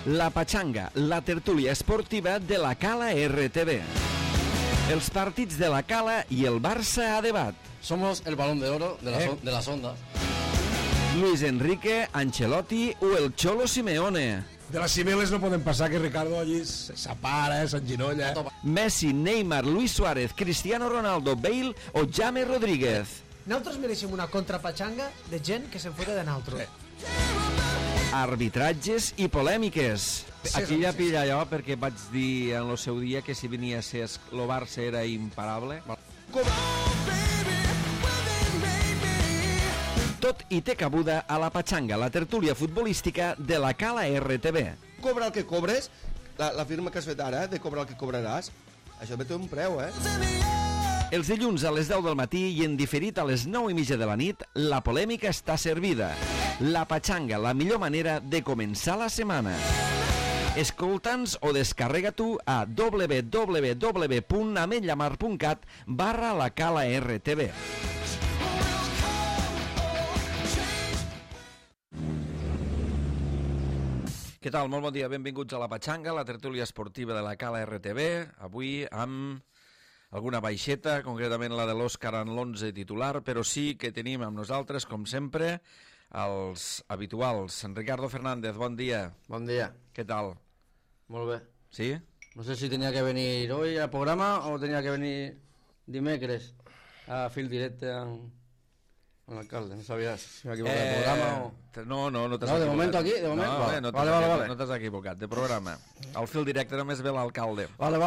La Pachanga, la tertúlia esportiva de la Cala RTV. Els partits de la Cala i el Barça a debat. Somos el balón de oro de las ondas. Luis Enrique, Ancelotti o el Cholo Simeone. De les cimeles no poden passar que Ricardo allí s'apara, s'enginolla. Messi, Neymar, Luis Suárez, Cristiano Ronaldo, Bale o James Rodríguez. Nosaltres mereixem una contrapatxanga de gent que se'n fota de nosaltres. Arbitratges i polèmiques. Aquí ja pilla allò perquè vaig dir en el seu dia que si venia a ser el Barça era imparable. Tot i té cabuda a la Pachanga, la tertúlia futbolística de la Cala RTV. Cobra el que cobres, la firma que has fet ara, de cobrar el que cobraràs, això té un preu, Els dilluns a les 10 del matí i en diferit a les 9:30 de la nit, la polèmica està servida. La Pachanga, la millor manera de començar la setmana. Escolta'ns o descarrega tu a www.ametllamar.cat/la Cala RTV. Què tal? Molt bon dia, benvinguts a la Pachanga, la tertúlia esportiva de la Cala RTV. Avui amb alguna baixeta, concretament la de l'Òscar en l'11 titular, però sí que tenim amb nosaltres, com sempre, els habituals. En Ricardo Fernández, bon dia. Bon dia. Què tal? Molt bé. Sí? No sé si tenía que venir hoy al programa o tenía que venir dimecres a fil directe amb l'alcalde. No sabia si m'ha equivocat de programa o... No t'has equivocat. De moment aquí, de moment? No, vale. No t'has equivocat, de programa. Al fil directe només ve l'alcalde. Vale.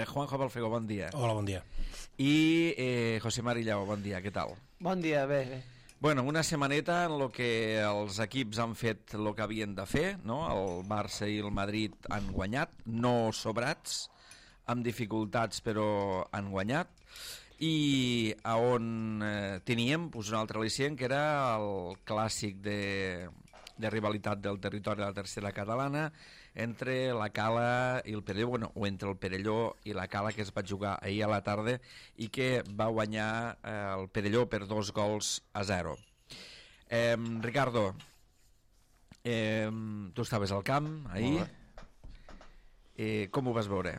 Juanjo Balfego, bon dia. Hola, bon dia. I José Mari Lleó, bon dia, què tal? Bon dia, bé. Bueno, una setmaneta en què els equips han fet el que havien de fer, no? El Barça i el Madrid han guanyat, no sobrats, amb dificultats però han guanyat, i a on teníem un altre al·licient, que era el clàssic de rivalitat del territori de la tercera catalana entre la Cala i el Perelló, o entre el Perelló i la Cala, que es va jugar ahir a la tarda i que va guanyar el Perelló per 2-0. Ricardo, tu estaves al camp ahir, com ho vas veure?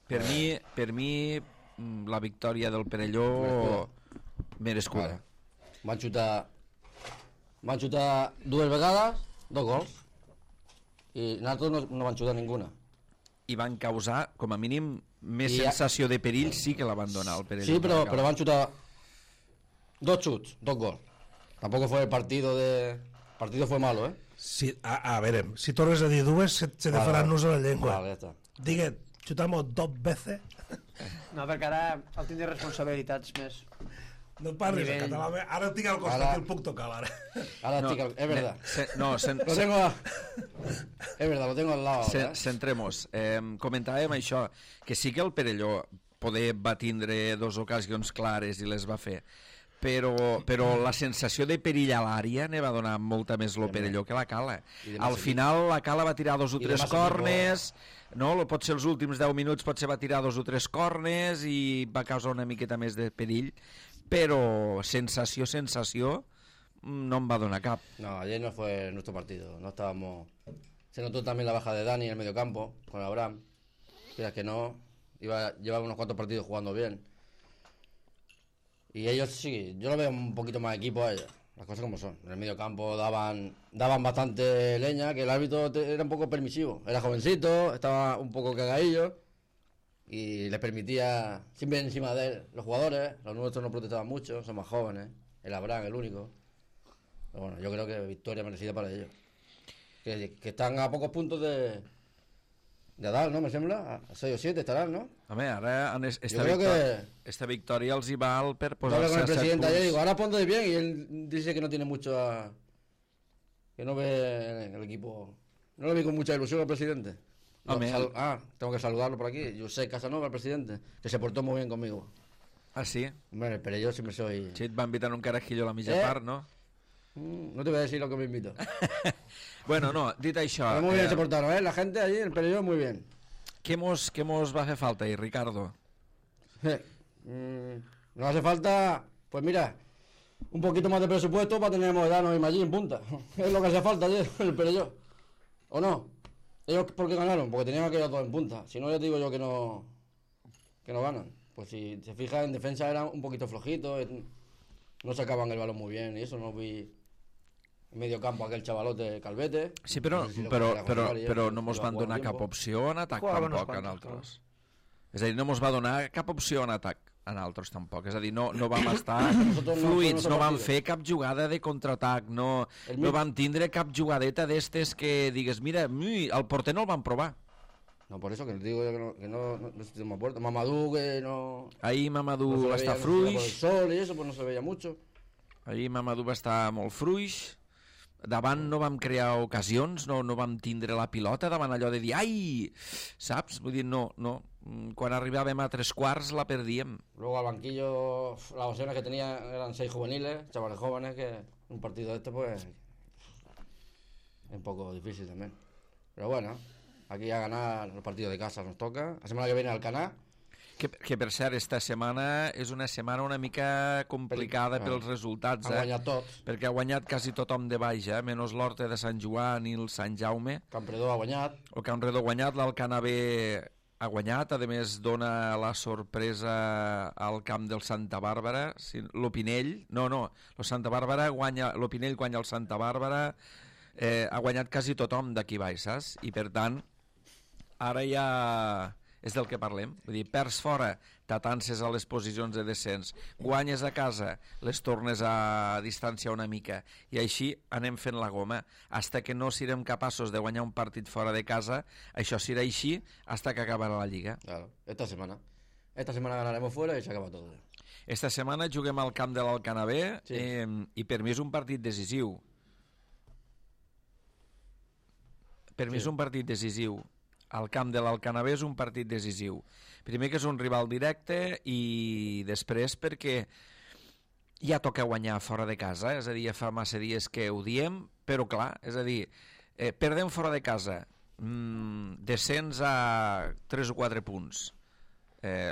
Per mi la victòria del Perelló merescuda. Van xutar dues vegades, 2 gols, i nosaltres no van xutar ninguna. I van causar, com a mínim, més sensació de perill, sí que la van donar el Perelló. Sí, però van xutar 2 xuts, 2 gols. Tampoco fue el partido fue malo, Sí, a ver, si tornes a dir dues, se te faran nudos a la llengua. Vale, ja està. Digue, chutamos 2 veces. No, perquè ara el tindré responsabilitats més. No parles en català, ara tinc al costat que el puc tocar, ara. Es verdad. Es verdad, lo tengo al lado. Centremos. Comentàvem això, que sí que el Perelló poder va tindre 2 ocasions clares i les va fer, però la sensació de perill a l'àrea ne va donar molta més lo Perelló que la Cala. Al final la Cala va tirar 2 o 3 corners, no? Potser els últims 10 minuts potser va tirar 2 o 3 corners i va causar una miqueta més de perill, però sensació no em va donar cap. No, ayer no fue nuestro partido, no estábamos... Se notó también la baja de Dani en el mediocampo con Abraham, que que no, llevaba unos cuantos partidos jugando bien. Y ellos sí, yo lo veo un poquito más equipo a ellos, las cosas como son. En el medio campo daban bastante leña, que el árbitro era un poco permisivo. Era jovencito, estaba un poco cagadillo y les permitía siempre encima de él. Los jugadores, los nuestros no protestaban mucho, son más jóvenes. El Abraham, el único. Pero bueno, yo creo que victoria merecida para ellos. Que están a pocos puntos de dalt, no? Me sembla, a 6 o 7 estarán, ¿no? Home, ara esta victòria els hi val per posar-se con el a 7 presidente punts. ayer, digo, ahora ponte bien, y él dice que no tiene mucho que no ve el equipo, no lo vi con mucha ilusión al presidente. Tengo que saludarlo por aquí, José Casanova, el presidente, que se portó muy bien conmigo. Ah, sí? Hombre, pero yo siempre soy... Sí, et va invitar un carajillo a la mitja part, no? No te voy a decir lo que me invito. Bueno, no, dit això... Pero muy bien se portaron, la gente allí, el Perelló, muy bien. Què mos va fer falta ahí, Ricardo? Nos hace falta, pues mira, un poquito más de presupuesto para tener a Moedano y Maggi en punta. Es lo que hace falta ayer, el Perelló. ¿O no? ¿Ellos por qué ganaron? Porque tenían aquellos dos en punta. Si no, ya te digo yo que no ganan. Pues si se fija, en defensa eran un poquito flojitos, no sacaban el balón muy bien y eso. No vi en medio campo aquel chavalote Calvete. Sí, però, No sé si lo però, podrà però, controlar, però ja, no mos si van va a donar jugar cap tiempo. opció en atac Jugava uns tampoc en quants, altres. És a dir, no mos va donar cap opció en atac en altres tampoc. És a dir, no vam estar Nosotros no fluids, fuimos no vam partido. fer cap jugada de contraatac, no vam tindre cap jugadeta d'estes que digues, mira, el porter no el van provar. No, por eso que les digo yo que no se me acuerdo. Mamadou que no... Ahir Mamadou no se va le estar veía, no se veía por el fluix, sol y eso, pues no se veía mucho. ahir Mamadou va estar molt fluix, davant no vam crear ocasions, no vam tindre la pilota davant allò de dir, ai, saps? Vull dir, no. Quan arribàvem a 3/4 la perdíem. Luego al banquillo, las opciones que tenía eran 6 juveniles, chavales jóvenes, que un partido de este pues es un poco difícil también. Pero bueno, aquí a ganar los partidos de casa nos toca. La semana que viene Alcanar. Que per cert, esta setmana és una setmana una mica complicada pels resultats, Han guanyat tots. perquè ha guanyat quasi tothom de baix, menys l'Horta de Sant Joan i el Sant Jaume. Campredó ha guanyat. El Campredó ha guanyat, l'Alcanavé ha guanyat, a més dona la sorpresa al camp del Santa Bàrbara, l'Opinell, el Santa Bàrbara guanya, l'Opinell guanya el Santa Bàrbara, ha guanyat quasi tothom d'aquí baix, saps? I per tant, ara ja és del que parlem, vull dir, perds fora, t'atances a les posicions de descens, guanyes a casa, les tornes a distanciar una mica, i així anem fent la goma, hasta que no serem capaços de guanyar un partit fora de casa, això serà així hasta que acabarà la Lliga. Claro, esta semana ganaremos fuera y se acaba todo. Esta setmana juguem al camp de l'Alcanavé, Sí. I per mi és un partit decisiu. Per mi és un partit decisiu. Al camp de l'Alcanavé és un partit decisiu. Primer que és un rival directe i després perquè ja toca guanyar fora de casa, és a dir, ja fa massa dies que ho diem, però clar, és a dir, perdem fora de casa, descens a 3 o 4 punts,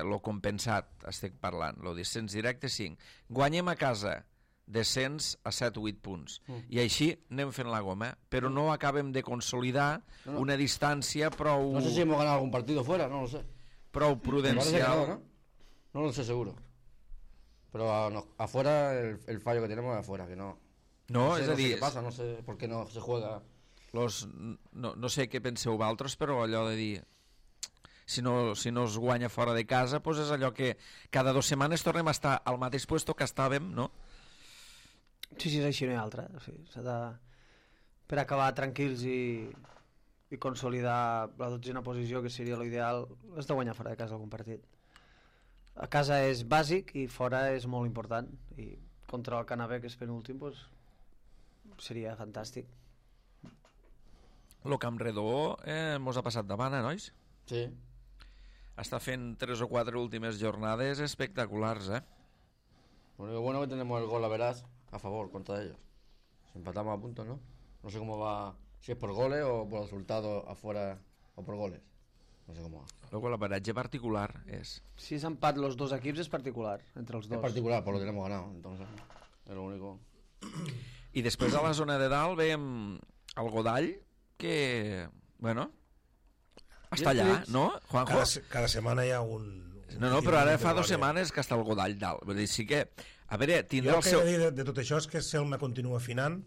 lo compensat estic parlant, lo descens directe 5, guanyem a casa, descens a 7 o 8 punts. I així anem fent la goma, però no acabem de consolidar una distància prou... No sé si hemos ganado algún partido fuera, no lo sé. Prou Me parece que prudencial. no. No lo sé seguro. Pero afuera, el fallo que tenemos es afuera, que no. No, sé, és a no sé dir, qué pasa, no sé por qué no se juega. no sé què penseu vosaltres, però allò de dir... Si no es guanya fora de casa, doncs és allò que cada 2 setmanes tornem a estar al mateix puesto que estàvem, no? Sí, és així, no hi ha altra. Sí, per acabar tranquils i consolidar la 12a posició, que seria l'ideal, has de guanyar fora de casa algun partit. A casa és bàsic i fora és molt important. I contra el Canavè, que és penúltim, doncs, seria fantàstic. Lo Campredó mos ha passat davant, nois? Sí. Està fent 3 o 4 últimes jornades espectaculars, Lo bueno que tenemos el gol a verás a favor contra ellos. Si empatamos a puntos, ¿no? No sé cómo va, si es por goles o por resultados afuera o por goles. No sé cómo va. Luego l'averatge particular és... Si és empat los dos equips és particular, entre els Es dos. particular por lo que hemos ganado, entonces es lo único. I després a la zona de dalt veiem el Godall, que, bueno, està allà, no, Juanjo? Cada setmana hi ha un... No, però ara fa 2 setmanes que està el Godall dalt. Vull dir, sí que... A veure, Jo tindrà el el que he seu... de dir de tot això és que Selma continua afinant,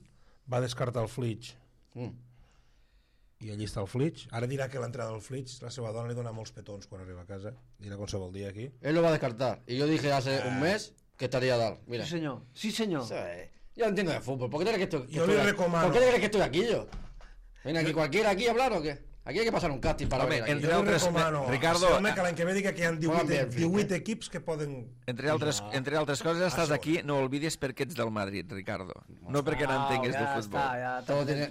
va descartar el Flitch, i allí està el Flitch. Ara dirà que l'entrada del Flitch, la seva dona li dona molts petons quan arriba a casa, dirà qualsevol dia aquí. Él lo va a descartar. Y yo dije hace un mes que estaría Dal. Mira. Sí, senyor. Sí, senyor. Eso es. Yo entiendo de fútbol. ¿Por qué te crees que estoy, Yo le recomano. ¿Por qué te crees que estoy aquí yo? ¿Viene aquí cualquiera aquí a hablar o qué? Aquí hay que pasar un casting para Home, venir aquí. entre Jo li altres... recomano Ricardo, a Selma que l'any que ve diga que hi ha Juegan bien, 18 equips que poden... entre altres coses, estàs aquí, no oblidis perquè ets del Madrid, Ricardo. No perquè no entengues de futbol.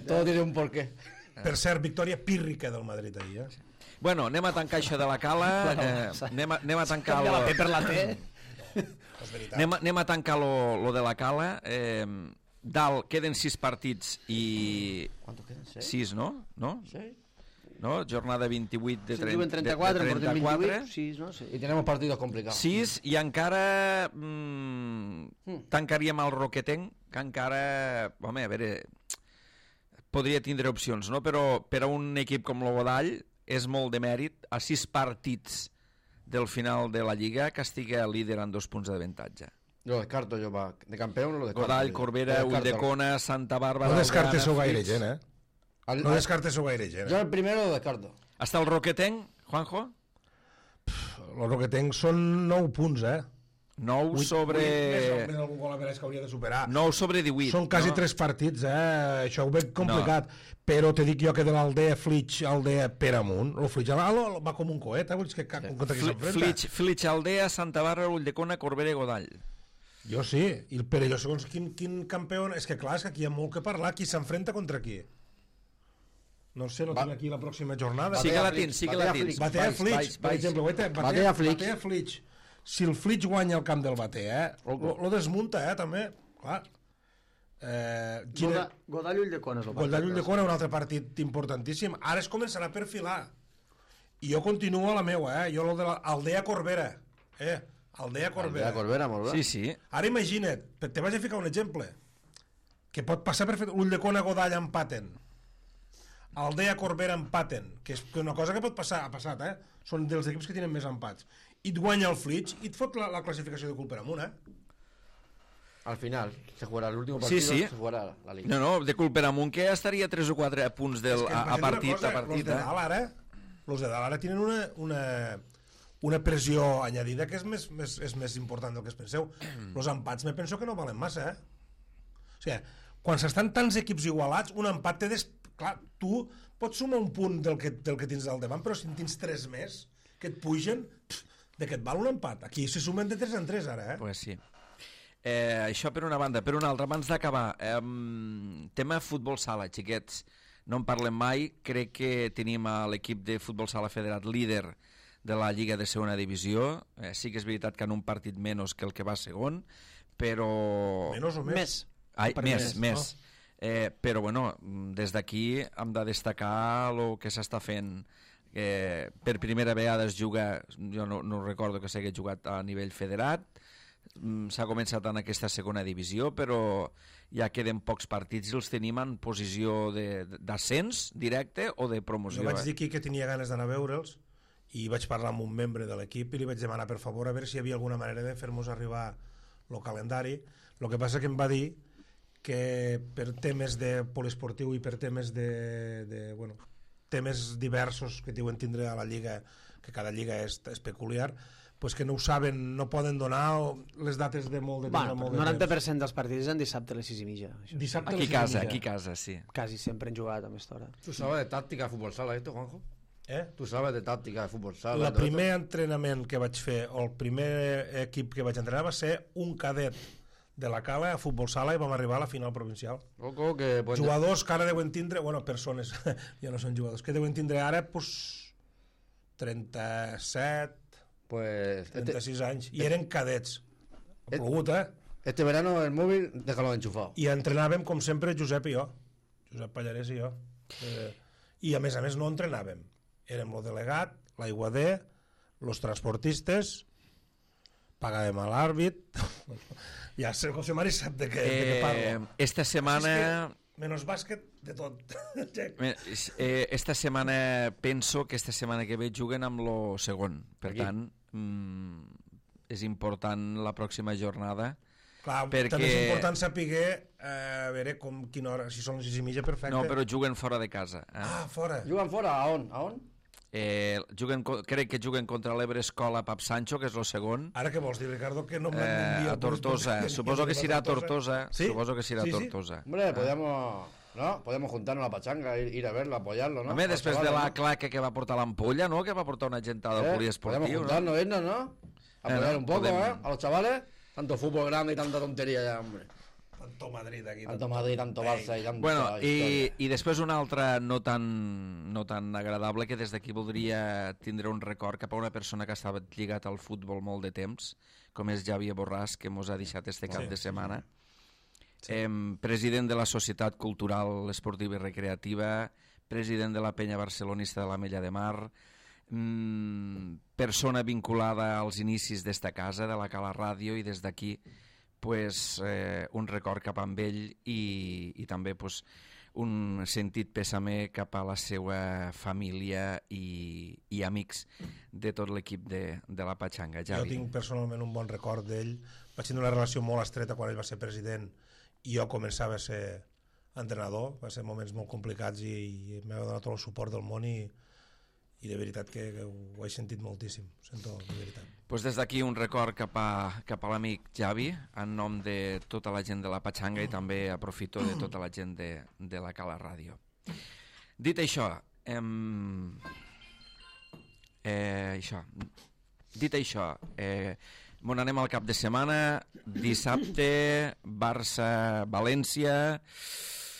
Todo tiene un porqué. Per cert, victòria pírrica del Madrid ahir, Bueno, anem a tancar això de la Cala, anem a tancar La P per la T. És veritat. anem a tancar lo de la Cala. Dalt queden 6 partits i... ¿Cuántos quedan? 6, no? ¿Seis? No? Jornada 28 de Si en diuen 34, en portem 28, sí, no? Sí. Y tenemos partidos complicados. 6 i encara tancaríem el Roquetenc, que encara, home, a veure, podria tindre opcions, no? Però per a un equip com el Godall és molt de mèrit a 6 partits del final de la Lliga que estigui líder amb 2 punts d'avantatge. Lo descarto yo, de campeón lo descarto. Godall, Corbera, Ulldecona, Santa Bàrbara... No descartes-ho Blaugrana, gaire Flix. gent, No descartes-ho gaire gent, Yo el primero lo descarto. Hasta el Roquetenc, Juanjo? El que tenc són 9 punts, 9 sobre... Més algun gol a veure que hauria de superar. 9 sobre 18. Són quasi no? 3 partits, Això ho veig complicat. Però te dic jo que de l'Aldea, Flix, Aldea, per amunt, el Flix va com un coet, vull dir que contra qui s'enfrenta. Flix, Aldea, Santa Bàrbara, Ulldecona, Corbera i Godall. Jo sí, però jo segons quin campió... És que clar, és que aquí hi ha molt que parlar. Qui s'enfrenta contra qui? No sé, no tinc aquí la pròxima jornada. Sí que la tens, sí que la tens. Batea Flix, per exemple. Batea Flix. Si el Flix guanya el camp del Batea, lo desmunta, també. Clar. Godall Ulldecona és el Godall Ulldecona, un altre partit importantíssim. Ara es començarà a perfilar. I jo continuo a la meua, Jo lo de l'Aldea Corbera. Aldea Corbera. Aldea Corbera, molt bé. Sí. Ara imagina't, te vaig a ficar un exemple, que pot passar perfecte. Ulldecona Godall empaten. Aldea Corbera empaten, que és una cosa que pot passar, ha passat, Són dels equips que tenen més empats. I et guanya el Flix i et fot la classificació de cul per amunt, Al final, se jugarà l'últim partit, Sí. se jugarà la Liga. No, de cul per amunt, que estaria 3 o 4 punts a partit. Los de dalt ara tenen una pressió añadida que és més important del que es penseu. Els empats me penso que no valen massa, O sigui, quan s'estan tants equips igualats, un empat té... Clar, tu pots sumar un punt del que tens al davant, però si en tens 3 més que et pugen, de què et val un empat? Aquí se sumen de 3 en 3 ara, Pues sí. Això per una banda. Per una altra, abans d'acabar, tema futbol sala, xiquets. No en parlem mai. Crec que tenim a l'equip de futbol sala federat líder de la Lliga de segona divisió. Sí que és veritat que en un partit menys que el que va segon, però... Menys o més? Ai, més. Però bueno, des d'aquí hem de destacar el que s'està fent. Per primera vegada es juga, jo no recordo que s'hagi jugat a nivell federat, s'ha començat en aquesta segona divisió, però ja queden pocs partits i els tenim en posició d'ascens directe o de promoció. Jo vaig dir aquí que tenia ganes d'anar a veure'ls i vaig parlar amb un membre de l'equip i li vaig demanar per favor a veure si hi havia alguna manera de fer-nos arribar el calendari. El que passa que em va dir que per temes de poliesportiu i per temes temes diversos que diuen tindre a la Lliga, que cada Lliga és peculiar, pues que no ho saben, no poden donar les dates de molt de temps. Bueno, el 90% dels partits en dissabte a les 6:30. Dissabte Aquí a casa, sí. Quasi sempre han jugat a aquesta hora. ¿Tú sabes de táctica de fútbol sala esto, Juanjo? ¿Tú sabes de táctica de fútbol sala? El primer entrenament que vaig fer, o el primer equip que vaig entrenar va ser un cadet de la Cala a futbol sala i vam arribar a la final provincial. Loco, que... Jugadors que ara deuen tindre, persones, ja no són jugadors, que deuen tindre ara, 37, 36 anys, i eren cadets. Ha plogut, Este verano el móvil, déjalo enchufado. I entrenàvem, com sempre, Josep i jo. Josep Pallarès i jo. I a més no entrenàvem. Érem el delegat, l'aiguader, els transportistes, pagàvem a l'àrbit... Ja, el José Mari sap de què parlo. Esta setmana... Menos bàsquet, de tot. Esta setmana, penso que esta setmana que ve juguen amb lo segon. Per tant, és important la pròxima jornada. Clar, també és important saber a veure quina hora, si són les 6:30, perfecte. No, però juguen fora de casa. Fora. Juguen fora? A on? Crec que juguen contra l'Ebre Escola Pap Sancho, que és el segon. Ara què vols dir, Ricardo? Que no m'envia... A Tortosa. Suposo que serà a Tortosa. ¿Sí? Suposo que serà a Tortosa. Hombre, podemos juntarnos a la pachanga, ir a verlo, apoyarlo, ¿no? Home, després de la claca que va portar l'ampolla, ¿no? Que va portar una gentada al poliesportiu, podemos juntarnos, irnos, ¿no? Apoyar un poco, a los chavales. Tanto fútbol grande y tanta tontería ya, hombre. Tanto Madrid aquí. Tanto Madrid, tanto Barça y tanta Bueno, història. i després una altra no tan agradable, que des d'aquí voldria tindre un record cap a una persona que estava lligat al futbol molt de temps, com és Javier Borràs, que mos ha deixat este cap de setmana. President de la Societat Cultural, Esportiva i Recreativa, president de la Penya Barcelonista de l'Ametlla de Mar, persona vinculada als inicis d'esta casa, de la Cala Ràdio, i des d'aquí pues, un record cap amb ell i també pues, un sentit pèsame cap a la seva família i amics de tot l'equip de la Patxanga. Jo Javi. tinc personalment un bon record d'ell. Vaig tenir una relació molt estreta quan ell va ser president i jo començava a ser entrenador. Va ser moments molt complicats i m'ha donat tot el suport del món i de veritat que ho he sentit moltíssim. Ho sento, de veritat. Pues des d'aquí un record cap a l'amic Javi, en nom de tota la gent de la Patxanga i també aprofito de tota la gent de la Cala Ràdio. Dit això, m'on anem al cap de setmana, dissabte, Barça-València...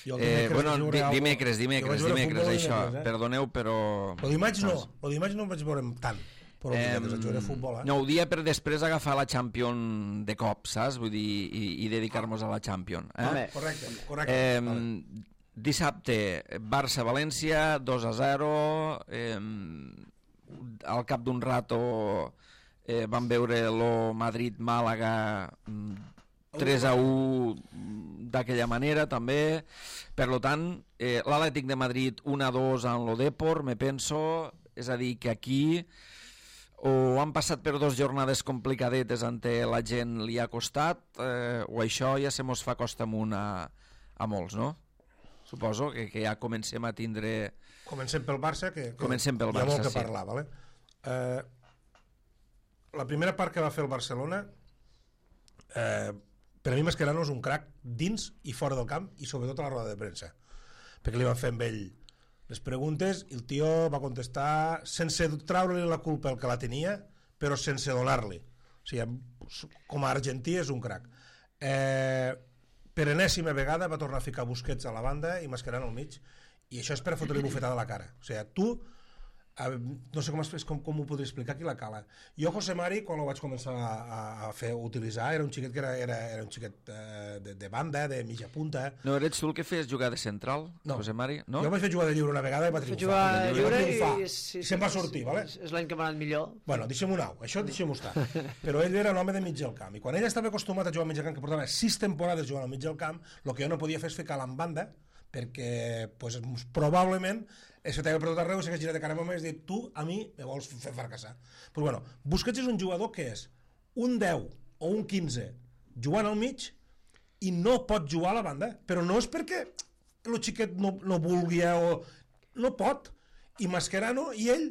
Dimecres, això, perdoneu, però... El dimarts no em vaig veure tant. Però jugaré a futbol, No, ho dia per després agafar la Champions de cop, saps? Vull dir, i dedicar-nos a la Champions. Correcte. Dissabte, Barça-València, 2-0. Al cap d'un rato vam veure el Madrid-Màlaga 3-1 d'aquella manera també. Per tant, l'Atlètic de Madrid 1-2 en lo Depor, me penso, és a dir, que aquí o han passat per 2 jornades complicadetes en què la gent li ha costat, o això ja se mos fa costa amunt a molts, no? Suposo que ja comencem a tindre... Comencem pel Barça, que comencem pel hi ha Barça, molt que parlar, vale? La primera part que va fer el Barcelona, per a mi Mascherano és un crac dins i fora del camp i sobretot a la roda de premsa, perquè li van fer amb ell les preguntes i el tio va contestar sense treure-li la culpa el que la tenia, però sense donar-li. O sigui, com a argentí és un crac. Per enèsima vegada va tornar a ficar Busquets a la banda i Mascherano al mig, i això és per fotre-li bufetada a la cara. O sigui, tu no sé com ho podria explicar qui la cala. Jo José Mari, quan ho vaig començar a utilitzar, era un xiquet que era un xiquet de banda, de mitja punta. No eres tu el que fes jugar de central, no. José Mari? No? Jo vaig fer jugar de lliure una vegada i va triomfar. I se'n va sortir, vale? És l'any que m'ha anat millor. Bueno, deixem-ho anar, això deixem-ho estar. Però ell era un home de mig del camp, i quan ell estava acostumat a jugar al mig del camp, que portava 6 temporades jugant al mig del camp, el que jo no podia fer és ficar-la en banda, perquè pues, probablement això t'havia per tot arreu i s'hagués girat de cara a mi i dit, tu a mi me vols fer fracassar. Però bueno, Busquets és un jugador que és un 10 o un 15 jugant al mig i no pot jugar a la banda, però no és perquè el xiquet no vulgui o no pot. I Mascherano i ell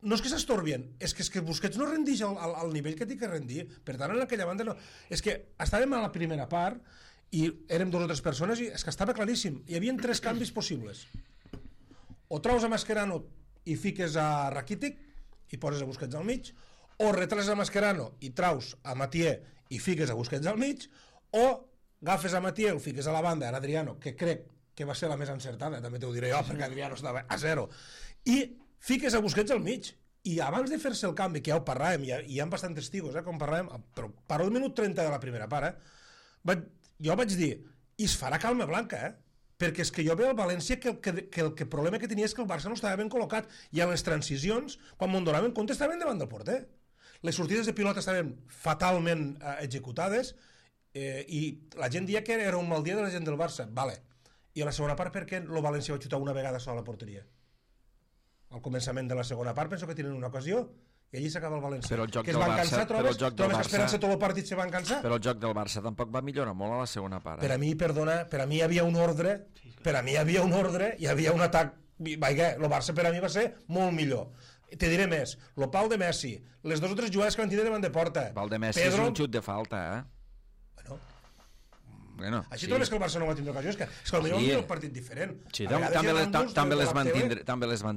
no és que s'estorbien, és que Busquets no rendix al nivell que té que rendir. Per tant, en aquella banda no. És que estàvem a la primera part i érem 2 o 3 persones i és que estava claríssim. Hi havia 3 canvis possibles. O traus a Mascherano i fiques a Rakitic i poses a Busquets al mig, o retrales a Mascherano i traus a Mathieu i fiques a Busquets al mig, o agafes a Mathieu, fiques a la banda en Adriano, que crec que va ser la més encertada, també t'ho diré jo, perquè Adriano estava a 0, i fiques a Busquets al mig. I abans de fer-se el canvi, que ja ho parlàvem, i hi ha bastants testigos, com parlàvem, però parlo del minut 30 de la primera part, jo vaig dir, i es farà calma blanca, perquè és que jo veig al València que el problema que tenia és que el Barça no estava ben col·locat, i a les transicions, quan m'ho donaven compte, estaven davant del porter. Les sortides de pilota estaven fatalment executades, i la gent dia que era un mal dia de la gent del Barça, vale. I a la segona part, per què el València va xutar una vegada sola a la porteria? Al començament de la segona part penso que tenen una ocasió i allí s'acaba el València. Però el joc que del Barça, cansar, trobes que esperant-se tot el partit se van cansar. Però el joc del Barça tampoc va millorar molt a la segona part. Per a mi, perdona, per a mi hi havia un ordre, hi havia un atac, el Barça per a mi va ser molt millor. Te diré més, el pal de Messi, les 2 o 3 jugades que van tindre davant de porta. El pal de Messi és un xut de falta, Bueno, així trobes que el Barça no va tindre ocasió, és que potser va un partit diferent. Sí, també les van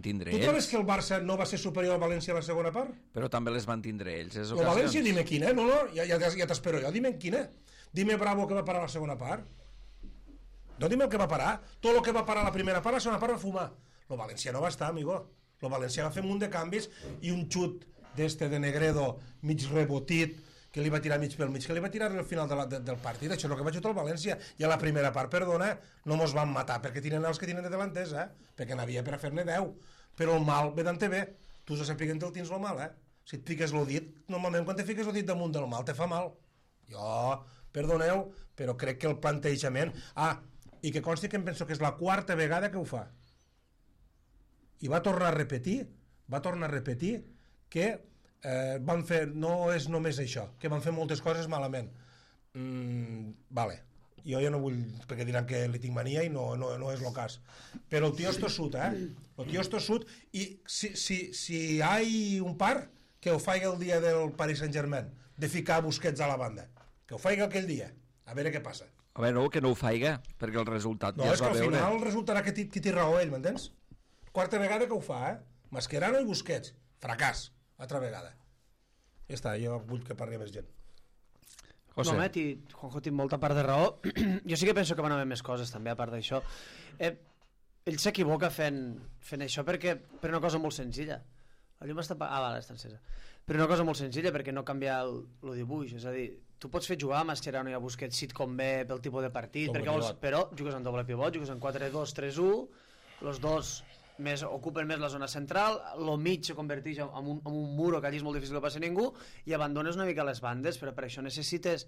tindre ells. Tu trobes que el Barça no va ser superior al València a la segona part? Però també les van tindre ells. El València, dime quina, ja t'espero jo, dime quina. Dime Bravo que va parar la segona part. No dime el que va parar. Tot el que va parar la primera part, la segona part va fumar. El València no va estar, amigo. El València va fer un munt de canvis i un xut d'este de Negredo mig rebotit que li va tirar mig pel mig, que li va tirar al final del partit. Això és el que va xutar el València. I a la primera part, perdona, no mos van matar, perquè tenen els que tenen de delanters, perquè n'havia per a fer-ne 10. Però el mal ve d'ante bé. Tu has de saber que te'l tens el mal, Si et fiques el dit, normalment quan te fiques el dit damunt del mal te fa mal. Jo perdoneu, però crec que el plantejament... I que consti que em penso que és la quarta vegada que ho fa. I va tornar a repetir que van fer, no és només això, que van fer moltes coses malament. Vale, jo ja no vull, perquè diran que li tinc mania i no és el cas. Però el tio és tossut, el tio és tossut, i si hi ha un par, que ho faig el dia del Paris Saint-Germain, de ficar Busquets a la banda. Que ho faig aquell dia, a veure què passa. A veure, que no ho faiga, perquè el resultat no, ja es va veure. No, és que al final resultarà que té raó ell, m'entens? Quarta vegada que ho fa, Mascherano i Busquets. Fracàs, altra vegada. Ja està, jo vull que parli més gent. José. No, Juanjo té molta part de raó. Jo sí que penso que van haver més coses, també, a part d'això. Ell s'equivoca fent això per una cosa molt senzilla. La llum està... vale, està encesa. Per una cosa molt senzilla, perquè no canvia el dibuix. És a dir, tu pots fer jugar a Mascherano i a Busquets si et convé pel tipus de partit, però jugues en doble pivot, jugues en 4-2-3-1, els dos ocupen més la zona central, el mig se converteix en un muro que allí és molt difícil que passi ningú, i abandones una mica les bandes, però per això necessites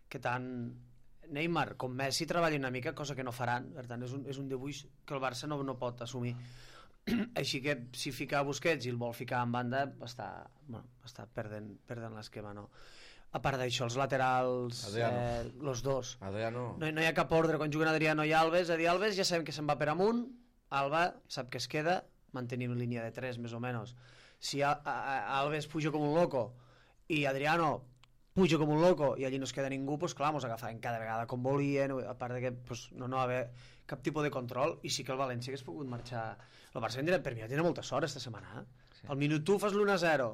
que tant Neymar com Messi treballin una mica, cosa que no faran. Per tant, és un dibuix que el Barça no pot assumir. Així que si fica Busquets i el vol ficar en banda està perdent l'esquema, no? A part d'això, els laterals, els dos, no hi ha cap ordre quan juguen Adriano i Alves. Alves ja sabem que se'n va per amunt, Alba sap que es queda, mantenim línia de 3 més o menys. Si Alves puja com un loco i Adriano puja com un loco i allí no es queda ningú, doncs clar, mos agafaven cada vegada com volien, a part de que no va haver cap tipus de control. I sí que el València hagués pogut marxar. El Barça per mi ja tenia molta sort esta setmana. Al minut tu fas l'1-0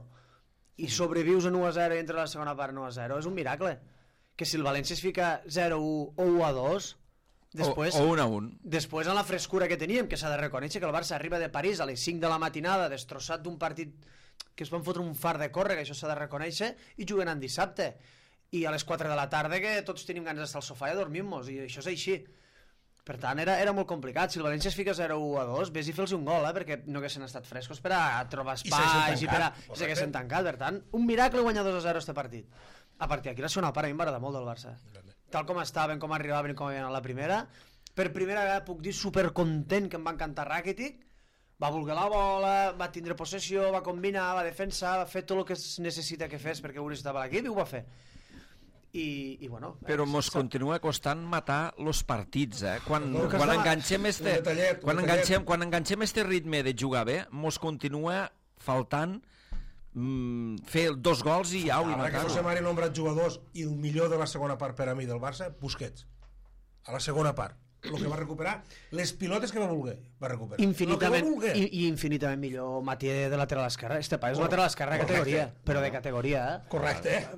i sobrevius a 1-0 i entra la segona part 1-0, és un miracle. Que si el València es fica 0-1 o 1-2, després, o 1-1, després en la frescura que teníem, que s'ha de reconèixer que el Barça arriba de París a les 5 de la matinada, destrossat d'un partit que es van fotre un far de córrer, que això s'ha de reconèixer, i juguen en dissabte, i a les 4 de la tarda que tots tenim ganes d'estar al sofà i dormir-nos, i això és així. Per tant, era molt complicat. Si el València es fica 0-1-2, vés i fer-los un gol, perquè no haguessin estat frescos per a trobar espais i per a... s'haguessin tancat. Per tant, un miracle guanyar 2-0 este partit. A partir d'aquí la segona part a mi em va agradar molt del Barça. Tal com estaven, com arribaven i com havien a la primera, per primera vegada puc dir supercontent que em va encantar Rakitic. Va voler la bola, va tindre possessió, va combinar, va defensar, va fer tot el que es necessita que fes perquè ho necessitava l'equip i ho va fer. I bueno, però mos continua costant matar los partits, quan enganxem este ritme de jugar bé, mos continua faltant fer 2 gols i au, i matar-ho. Que José Mari ha nombrat jugadors, i el millor de la segona part per a mi del Barça, Busquets, a la segona part. El que va recuperar, les pilotes que va voler, va recuperar. Infinitament millor Mathieu de lateral esquerra. Este país és lateral esquerra de categoria, però de categoria. Correcte.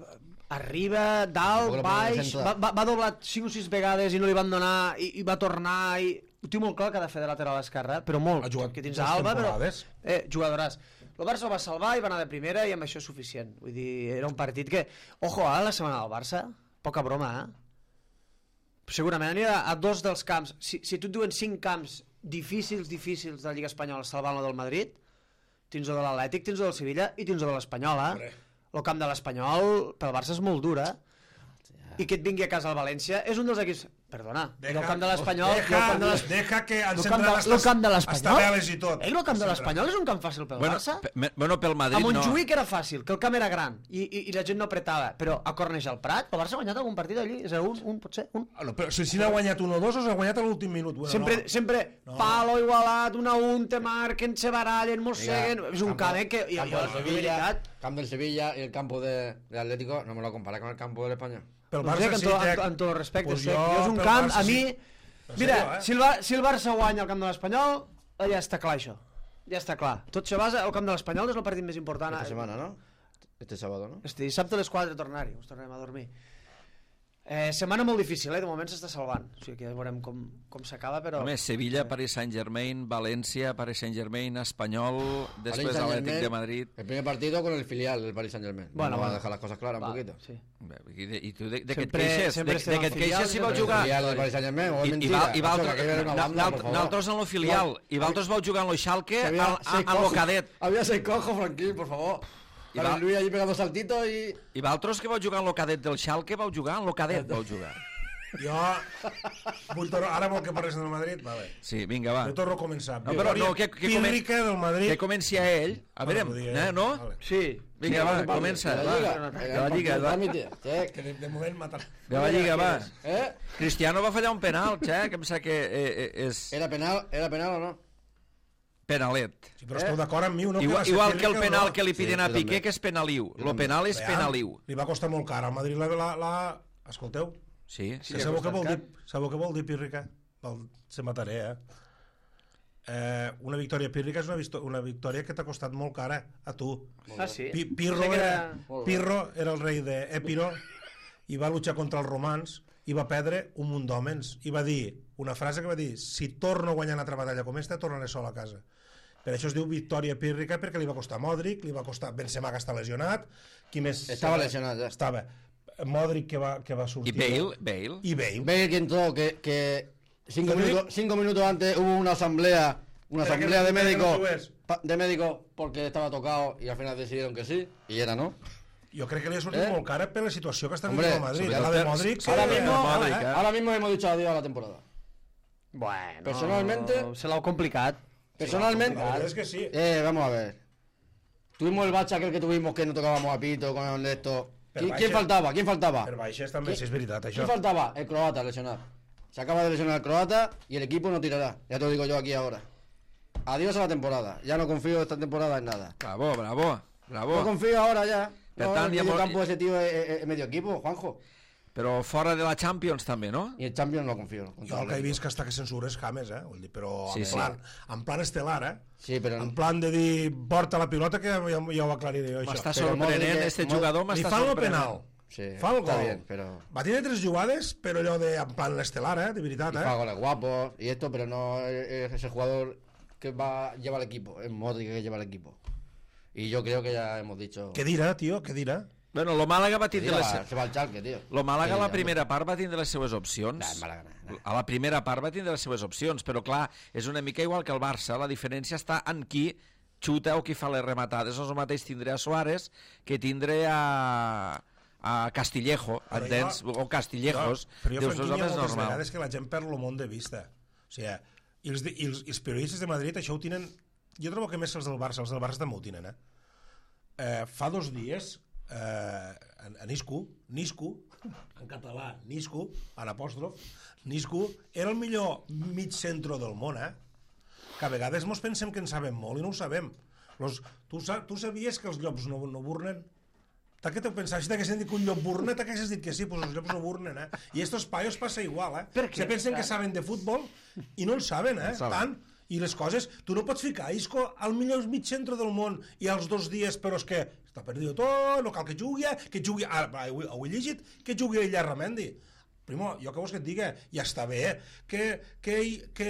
Arriba, dalt, baix, va doblar 5 o 6 vegades i no li van donar, i va tornar, i ho tinc molt clar que ha de fer de lateral esquerra, però molt, que tens Alba, però jugadoràs. El Barça el va salvar i va anar de primera, i amb això és suficient. Vull dir, era un partit que, ojo, la setmana del Barça, poca broma, segurament anirà a 2 dels camps. Si tu et diuen 5 camps difícils de la Lliga Espanyola salvant-lo del Madrid, tens el de l'Atlètic, tens el del Sevilla i tens el de l'Espanyola. El camp de l'Espanyol pel Barça és molt dur, i que et vingui a casa al València és un dels equips... Perdona, el camp de l'Espanyol... Deja que està veles i tot. El camp de l'Espanyol és un camp fàcil pel Barça? Bueno, pel Madrid no. A Montjuïc era fàcil, que el camp era gran i la gent no apretava, però a Cornellà al Prat, el Barça ha guanyat algun partit allí? És un, potser, un? Però si n'ha guanyat 1 o 2 o s'ha guanyat a l'últim minut? Sempre palo igualat, 1-1, te marquen, se barallen, mosseguen... És un camp que... Camp del Sevilla i el campo de Atlético no me lo compara con el campo de l'Espanyol. Pel Barça sí, amb tot el respecte, jo és un camp, a mi... Mira, si el Barça guanya el camp de l'Espanyol, ja està clar això. Ja està clar. Tot se basa, el camp de l'Espanyol és el partit més important. Esta setmana, no? Este sábado, no? Este dissabte a les 4 tornar-hi, us tornarem a dormir. Setmana molt difícil, de moment s'està salvant. O sigui que ja veurem com s'acaba, però... Només Sevilla, Paris Saint-Germain, València, Paris Saint-Germain, Espanyol, després Atlético de Madrid... El primer partido con el filial del Paris Saint-Germain. Bueno, va a dejar las cosas claras un poquito. Sí. I tu de què et queixes? De què et queixes si vau jugar... El filial del Paris Saint-Germain, o és mentira. Nosaltres en el filial, i vosaltres vau jugar en el Schalke, en el cadet. Había 6 cojos, Franquín, por favor. Para Luis allí pegando saltitos y... I vosaltres que vau jugar en lo cadet del Schalke, vau jugar en lo cadet, vau jugar. Jo ara vol que parles del Madrid? Vale. Sí, vinga, va. Jo torno a començar. No, però no, que Pírrica del Madrid. Que comenci a ell. A veure, no? Vale. Sí. Vinga, va, comença. De La Lliga, va. Que de moment matarà. De la Lliga, va. ¿Eh? Cristiano va fallar un penal, que em sembla que és ¿Era penal o no? penalet. Sí, però esteu d'acord amb mi o no? Igual que el penal que li piden Sí, a jo Piqué, també. que és penaliu. Lo penal és penaliu. Li va costar molt car. Al Madrid Escolteu, Sí. sabeu què vol dir? Sabeu què vol dir pírrica? Se mataré, una victòria pírrica és una victòria que t'ha costat molt cara a tu. Ah, sí? Pirro era el rei d'Épiro i va luchar contra els romans i va perdre un munt d'homens i va dir una frase que va dir: si torno a guanyar una altra batalla com esta, tornaré sol a casa. Per això es diu victòria pírrica, perquè li va costar Modric, li va costar Benzema, que està lesionat. Qui més? Estava lesionat, ja. Estava Modric, que va sortir. I Bale. Bale que entró, que 5 minutos antes hubo una asamblea de médicos porque estaba tocado y al final decidieron que sí, y era no. Jo crec que li ha sortit molt cara per la situació que està Hombre, vivint el Madrid. La de Modric... Ahora mismo hemos dicho adiós a la temporada. Bueno, Personalmente... se l'ha complicat. Personalmente... La verdad es que sí. Vamos a ver. Tuvimos el bache aquel que tuvimos que no tocábamos a pito con esto. ¿Quién faltaba? Per baixes també, si és veritat, això. ¿Quién faltaba? El croata, lesionar. Se acaba de lesionar el croata y el equipo no tirará. Ya te lo digo yo aquí ahora. Adiós a la temporada. Ya no confío esta temporada en nada. Bravo. No confío ahora ya. Per tant, el medio campo de ese tío es medio equipo, Juanjo. Però fora de la Champions també, no? Y el Champions no confío. Jo el que he vist que està que censures James, Vull dir, però Sí, en plan estel·lar, Sí, però... En plan de dir, porta la pilota, que ja ho aclariré jo, això. M'està Però sorprenent, Modric- este jugador Li m'està fan el sorprenent. penal. Sí, Fa el está gol. bien, pero... Va tenir 3 jugades, però allò de, en plan estel·lar, de veritat, Y fa goles guapos y esto, pero no es ese jugador que lleva el equipo. Es Modric que lleva el equipo. Y yo creo que ya hemos dicho... Què dirà, tio? Què dirà? Bueno, lo Màlaga va Que tindre se va al Schalke, tío. Lo Màlaga a Sí, la ja, primera part va tindre les seues opcions. Nah, Màlaga, nah. A la primera part va tindre les seues opcions, però clar, és una mica igual que el Barça, la diferència està en qui xuta o qui fa les rematades. És el mateix tindré a Suárez que tindré a Castillejo, Però entens? O Castillejos. Però jo, Dius, Franquinha, home, és moltes normal. vegades que la gent perd el món de vista. O sigui, i els periodistes de Madrid això ho tenen... Jo trobo que més els del Barça també ho tenen, Fa 2 dies, a Nisco, en català, Nisco, en apòstrof, Nisco, era el millor mig centro del món, que a vegades mos pensem que en sabem molt i no ho sabem. Tu sabies que els llops no burnen? Què t'ho pensaves? Si t'haguessin dit que un llop burna, t'haguessis dit que sí, doncs els llops no burnen, I estos paios passa igual, Se pensen que saben de futbol i no el saben, tant. I les coses, tu no pots ficar Isco al millor mig centre del món i als 2 dies, però és que està perdut tot, no cal que jugui, ho he llegit, que jugui a Illarramendi. Primo, jo què vols que et diga? Ja està bé, que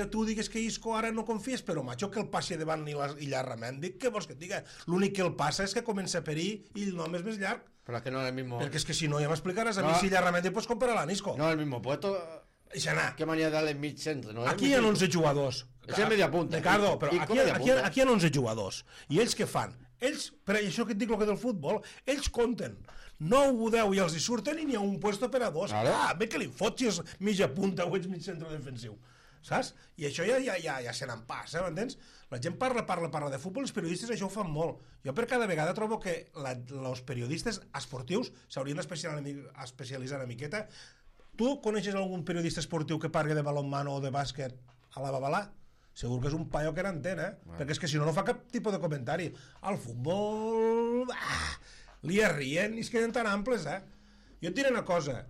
tu digues que Isco ara no confies, però macho, que el passi davant Illarramendi, què vols que et diga? L'únic que el passa és que comença a perir i el nom és més llarg. Pero es que no es el mismo... Perquè és que si no ja m'explicaràs a mi si Illarramendi pots comparar a Nisco. No es el mismo puesto... ¿Qué manera de darle mid-centre? ¿No? Aquí hi ha 11 jugadors. És el media punta. Ricardo, però aquí hi ha 11 jugadors. I ells què fan? Ells, per això que et dic el que del futbol, ells compten 9 o 10 i els hi surten i n'hi ha un puesto per a 2. Bé que li fots si és mitja punta o ets mig centre defensiu. Saps? I això ja se n'en passa, m'entens? La gent parla de futbol, els periodistes això ho fan molt. Jo per cada vegada trobo que els periodistes esportius s'haurien d'especialitzar una miqueta. Tu coneixes algun periodista esportiu que parli de balonmano o de bàsquet a la Babalà? Segur que és un paio que n'entén, Perquè és que si no, no fa cap tipus de comentari. Al futbol... li arrien i es queden tan amples, Jo et diré una cosa.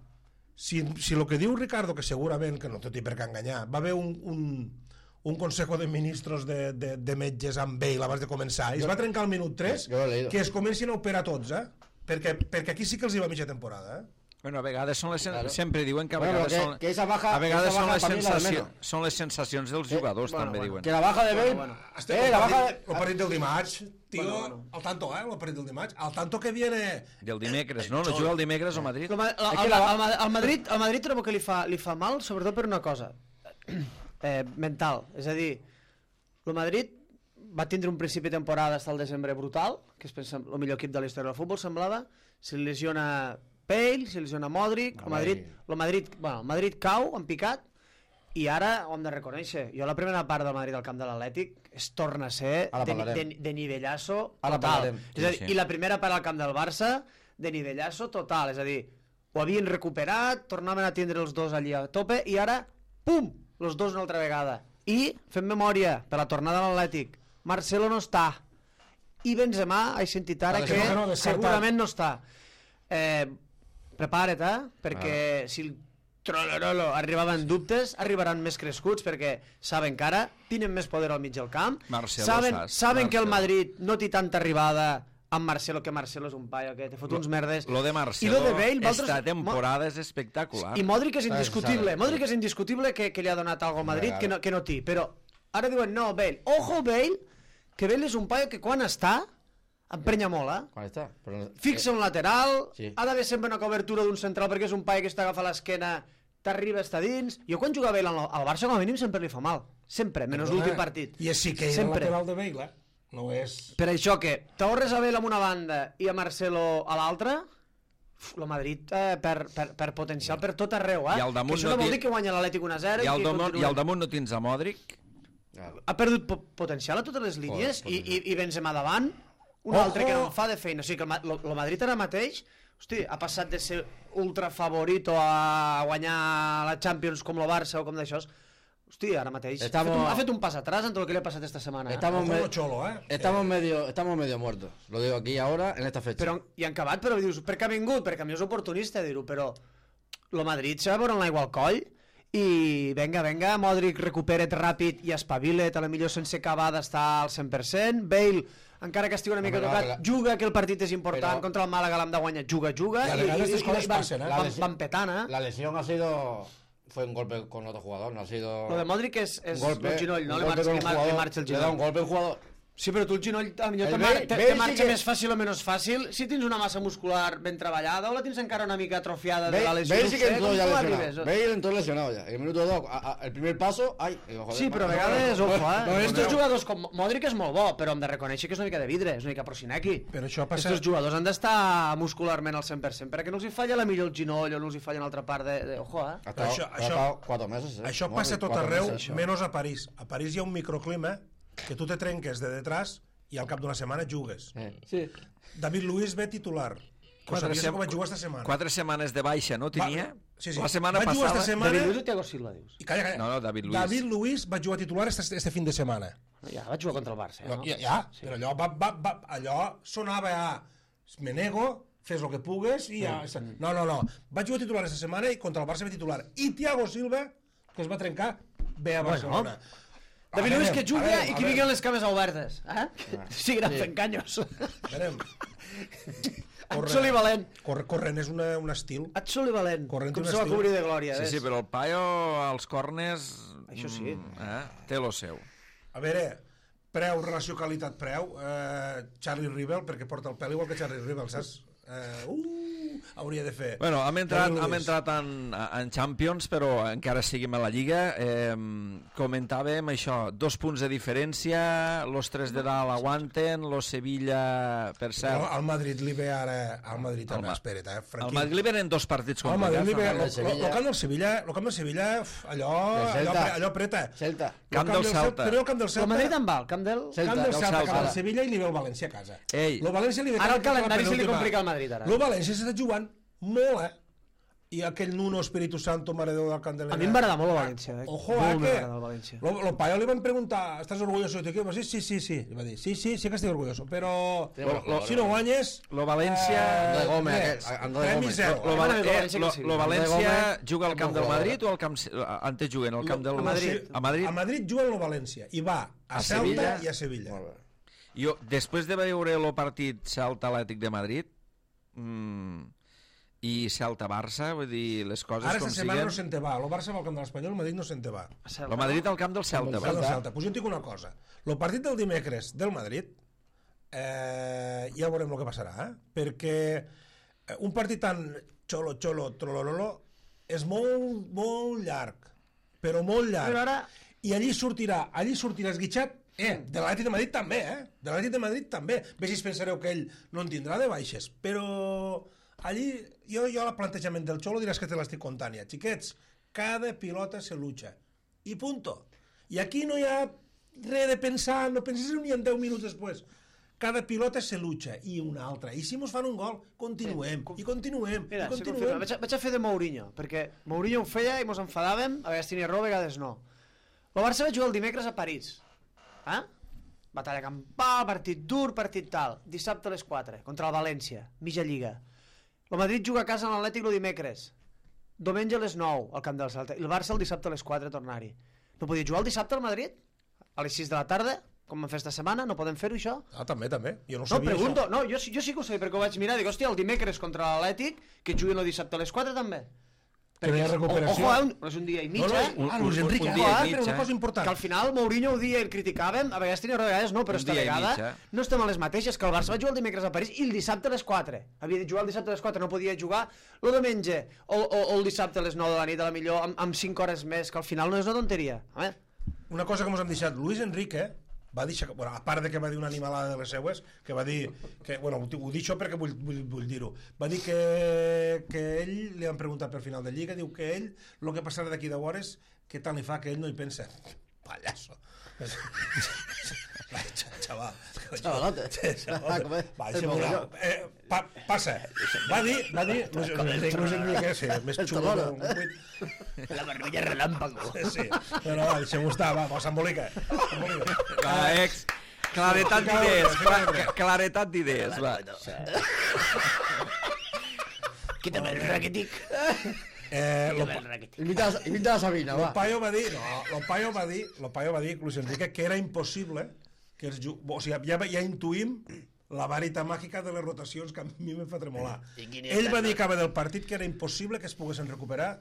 Si el que diu Ricardo, que segurament, que no té per què enganyar, va haver un consejo de ministros de metges amb Bale abans de començar, i es va trencar al minut 3, que es comencin a operar tots, perquè aquí sí que els hi va mitja temporada, Bueno, a vegades són sempre diuen que a vegades són les sensacions dels jugadors, també diuen. Que la baja de Bale... El partit del dimarts, tio, al tanto, el partit del dimarts, al tanto que viene... Del dimecres, no? No juga el dimecres o Madrid? Al Madrid trobo que li fa mal, sobretot per una cosa mental. És a dir, el Madrid va tindre un principi de temporada fins al desembre brutal, que és el millor equip de la història del futbol, semblava. Se lesiona Bale, se lesiona Modric, el Madrid cau, en picat, i ara ho hem de reconèixer. Jo la primera part del Madrid al camp de l'Atlètic es torna a ser de nivellasso total. És a dir, i la primera part al camp del Barça de nivellasso total, és a dir, ho havien recuperat, tornaven a tindre els dos allí a tope, i ara, pum, els dos una altra vegada. I, fem memòria, per la tornada a l'Atlètic, Marcelo no està, i Benzema, he sentit ara que segurament no està. Prepara't, perquè si el trolololo arribaven dubtes, arribaran més crescuts, perquè saben que ara tenen més poder al mig del camp, saben que el Madrid no té tanta arribada amb Marcelo, que Marcelo és un paio que te fot uns merdes. Lo de Marcelo, esta temporada és espectacular. I Modric és indiscutible, Modric és indiscutible que li ha donat alguna cosa al Madrid que no té, però ara diuen no, Bale, ojo Bale, que Bale és un paio que quan està emprenya molt, Quan està? Fixa un lateral, ha d'haver sempre una cobertura d'un central perquè és un paio que està agafant l'esquena, t'arriba, està dins. Jo quan jugava Bale al Barça com a mínim sempre li fa mal, sempre, menys l'últim partit. I és sí que és el lateral de Bale, no és... Per això que t'ahorres a Bale amb una banda i a Marcelo a l'altra, el Madrid per potencial per tot arreu, que això no vol dir que guanya l'Atlètic 1-0 i al damunt no tens a Modric. Ha perdut potencial a totes les línies i Benzema davant, un altre que no en fa de feina. O sigui que el Madrid ara mateix, hosti, ha passat de ser ultra favorito a guanyar la Champions com el Barça o com d'això. Hosti, ara mateix ha fet un pas atrás en tot el que le ha pasado esta semana. Estamos medio muertos. Lo digo aquí ahora, en esta fecha. Però, i han acabat, però dius, per què ha vingut? Perquè a mi és oportunista dir-ho, però el Madrid s'ha de veure l'aigua al coll i venga, Modric recupera't ràpid i espavila't, a la millor sense acabar d'estar al 100%. Bale, encara que estigui una mica tocat, juga, que el partit és important, contra el Màlaga l'hem de guanyar, juga, i van petant, La lesión ha sido... Fue un golpe con otro jugador, no ha sido... Lo de Modric es el ginoll, no? Le marcha el ginoll. Le da un golpe al jugador. Sí, però tu el ginoll te marxa més fàcil o menys fàcil si tens una massa muscular ben treballada o la tens encara una mica atrofiada de la lesió. Bale sí que entró ya lesionado. Bale entró lesionado ya. El minuto 2, el primer paso... Sí, però a vegades, ojo, estos jugadors com Modric és molt bo, però hem de reconèixer que és una mica de vidre, és una mica Prosinecki. Estos jugadors han d'estar muscularment al 100% perquè no els hi falla la millor el ginoll o no els hi falla una altra part de... Ojo, Això 4 mesos. Això passa tot arreu, menys a París. A París hi ha un microclima que tu te trenques de detrás i al cap d'una setmana jugues. David Luiz ve titular. Que sabies com va jugar esta setmana. 4 setmanes de baixa, no tenia? Sí. La setmana passada... David Luiz o Thiago Silva, dius? Calla. No, David Luiz. David Luiz va jugar titular este fin de setmana. Ja, va jugar contra el Barça, no? Però allò sonava a... Me nego, fes el que pugues i ja... No. Va jugar titular esta setmana i contra el Barça ve titular. I Thiago Silva, que es va trencar, ve a Barcelona. David Luiz que juga i que vinguin les cames obertes, Seguiran fent canyos. Absoli valent. Corrent és un estil. Absoli valent. Com se va cobrir de glòria. Sí, però el paio als corners... Això sí. Té lo seu. A veure, relació qualitat-preu, Charlie Rivel, perquè porta el pèl igual que Charlie Rivel, saps? Hauria de fer. Bueno, hem entrat en Champions, però encara seguim a la Lliga. Comentàvem això, 2 punts de diferència, los 3 de dalt aguanten, los Sevilla, per cert... Al Madrid li ve ara... Al Madrid també, espera't, franquí. Al Madrid li venen 2 partits complicats. El camp del Sevilla, allò apreta. Celta. Camp del Celta. Però el camp del Celta... El Madrid en va, el camp del Celta, cap al Sevilla i li ve el València a casa. Ara el calendari se li complica al Madrid, ara. El València s'està jugant molt, I aquell Nuno Espíritu Santo, Mare Déu del Candelera. A mi em va agradar molt el València. Ojo, que el paio li van preguntar, ¿estás orgulloso de tu equipo? Sí. I va dir, sí que estic orgulloso, però si no guanyes... Lo València... Premi 0. Lo València juga al camp del Madrid o al camp... Antes juguen al camp del Madrid? A Madrid juga al València i va a Celta i a Sevilla. Jo, després de veure el partit Celta-Atlètic de Madrid... i Celta-Barça, vull dir, les coses ara com siguen... Ara esta setmana no se'n te va, el Barça va al camp de l'Espanyol, el Madrid no se'n te va. El Madrid al camp del Celta. Pues jo et dic una cosa, el partit del dimecres del Madrid, ja veurem el que passarà, perquè un partit tan trolololo, és molt llarg, però molt llarg. Però ara... I allí sortirà esguitxat De l'Atlètic de Madrid també, De l'Atlètic de Madrid també. Bé si pensareu que ell no en tindrà de baixes, però allí jo el plantejament del Xolo diràs que te l'estic contant ja. Xiquets, cada pilota se lucha. I punto. I aquí no hi ha res de pensar, no penses ni en 10 minuts després. Cada pilota se lucha i una altra. I si mos fan un gol, continuem, i continuem, Mira, i continuem. vaig a fer de Mourinho, perquè Mourinho ho feia i mos enfadàvem, a vegades tenia raó, a vegades no. El Barça va jugar el dimecres a París. Batalla campal, partit dur, partit tal. Dissabte a les 4, contra el València, mitja lliga. El Madrid juga a casa amb l'Atlètic el dimecres. Diumenge a les 9, al camp del Celta. I el Barça el dissabte a les 4 tornar-hi. No podia jugar el dissabte al Madrid? A les 6 de la tarda? Com vam fer esta setmana? No podem fer-ho, això? També. Jo no No, sabia pregunto. això. No, jo sí que ho sabia, perquè ho vaig mirar. Dic, hòstia, el dimecres contra l'Atlètic, que juguen el dissabte a les 4 també. Que no hi ha recuperació. Ojo, és un dia i mig, Luis Enrique, un dia i mig, però una cosa important. que al final Mourinho ho dia i el criticàvem, a vegades tenia raó, a vegades no, però Un esta dia i vegada mig, no estem a les mateixes, que el Barça va jugar el dimecres a París i el dissabte a les 4. Havia de jugar el dissabte a les 4, no podia jugar el diumenge o el dissabte a les 9 de la nit, a la millor, amb 5 hores més, que al final no és una tonteria. A veure. Una cosa que ens hem deixat, Luis Enrique va dir, bueno, a part de que va dir una animalada de les seues, que va dir, que, bueno, ho dic això perquè vull dir-ho, va dir que ell, li han preguntat per final de Lliga, diu que ell, el que passarà d'aquí 10 hores, que tant li fa que ell no hi pensa. Pallasso. Xaval. Xavalote. Va, passa. Va dir, Luis Enrique, sí, més xulo que un buit. La barbilla relàmpago. Sí, però va, deixem-ho estar, va, s'embolica. Va, claretat d'idees, va. Quítame el raquetic. Lo Invita a Sabina, va. Paio va dir, Luis Enrique, que era impossible que els o sigui, ja intuïm la varita màgica de les rotacions que a mi me fa tremolar. Ell va dir que del partit que era impossible que es poguessin recuperar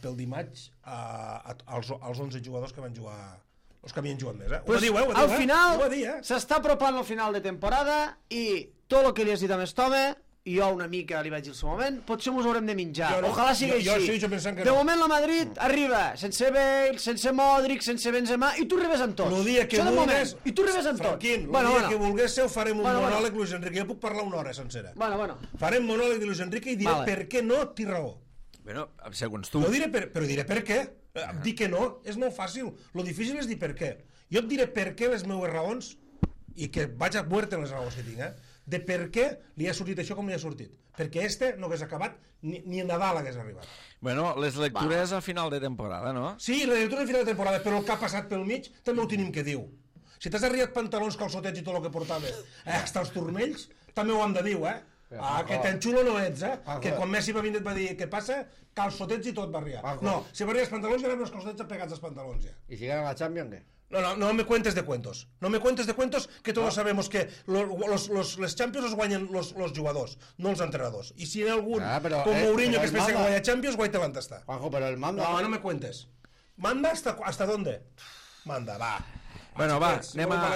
pel dimarts als 11 jugadors que van jugar, els que havien jugat més. Ho va dir, al final s'està apropant al final de temporada i tot el que li has dit a Mestome, i jo una mica li vaig dir al seu moment, potser mos haurem de menjar. Ojalà sigui així. De moment la Madrid arriba sense Bale, sense Modric, sense Benzema, i tu arribes amb tots. El dia que vulguis, i tu arribes amb tots. Franquín, el dia que vulguéssiu farem un monòleg Luis Enrique. Jo puc parlar una hora sencera. Farem monòleg de Luis Enrique i diré per què no té raó. Bueno, segons tu. Però diré per què. Dir que no és molt fàcil. Lo difícil és dir per què. Jo et diré per què les meues raons i que vaig a muerte les raons que tinc, de per què li ha sortit això com li ha sortit. Perquè no hagués acabat ni a Nadal hagués arribat. Bueno, les lectures a final de temporada, no? Sí, les lectures a final de temporada, però el que ha passat pel mig també ho tenim que diu. Si t'has arribat pantalons, calçotets i tot el que portaves, hasta els turmells, també ho hem de dir, que tan xulo no ets, que quan Messi va vindre et va dir què passa, calçotets i tot va arribar. No, si va arribar els pantalons ja anaven els calçotets pegats als pantalons ja. I si gana la Champions, què? No me cuentes de cuentos. No me cuentes de cuentos, que todos sabemos que les Champions los guanyen los jugadors, no els entrenadors. Y si hay algún, como Mourinho, que es pensa que guanya Champions, guai talent està. Juanjo, pero el manda... No me cuentes. ¿Manda hasta dónde? Manda, va. Bueno, va,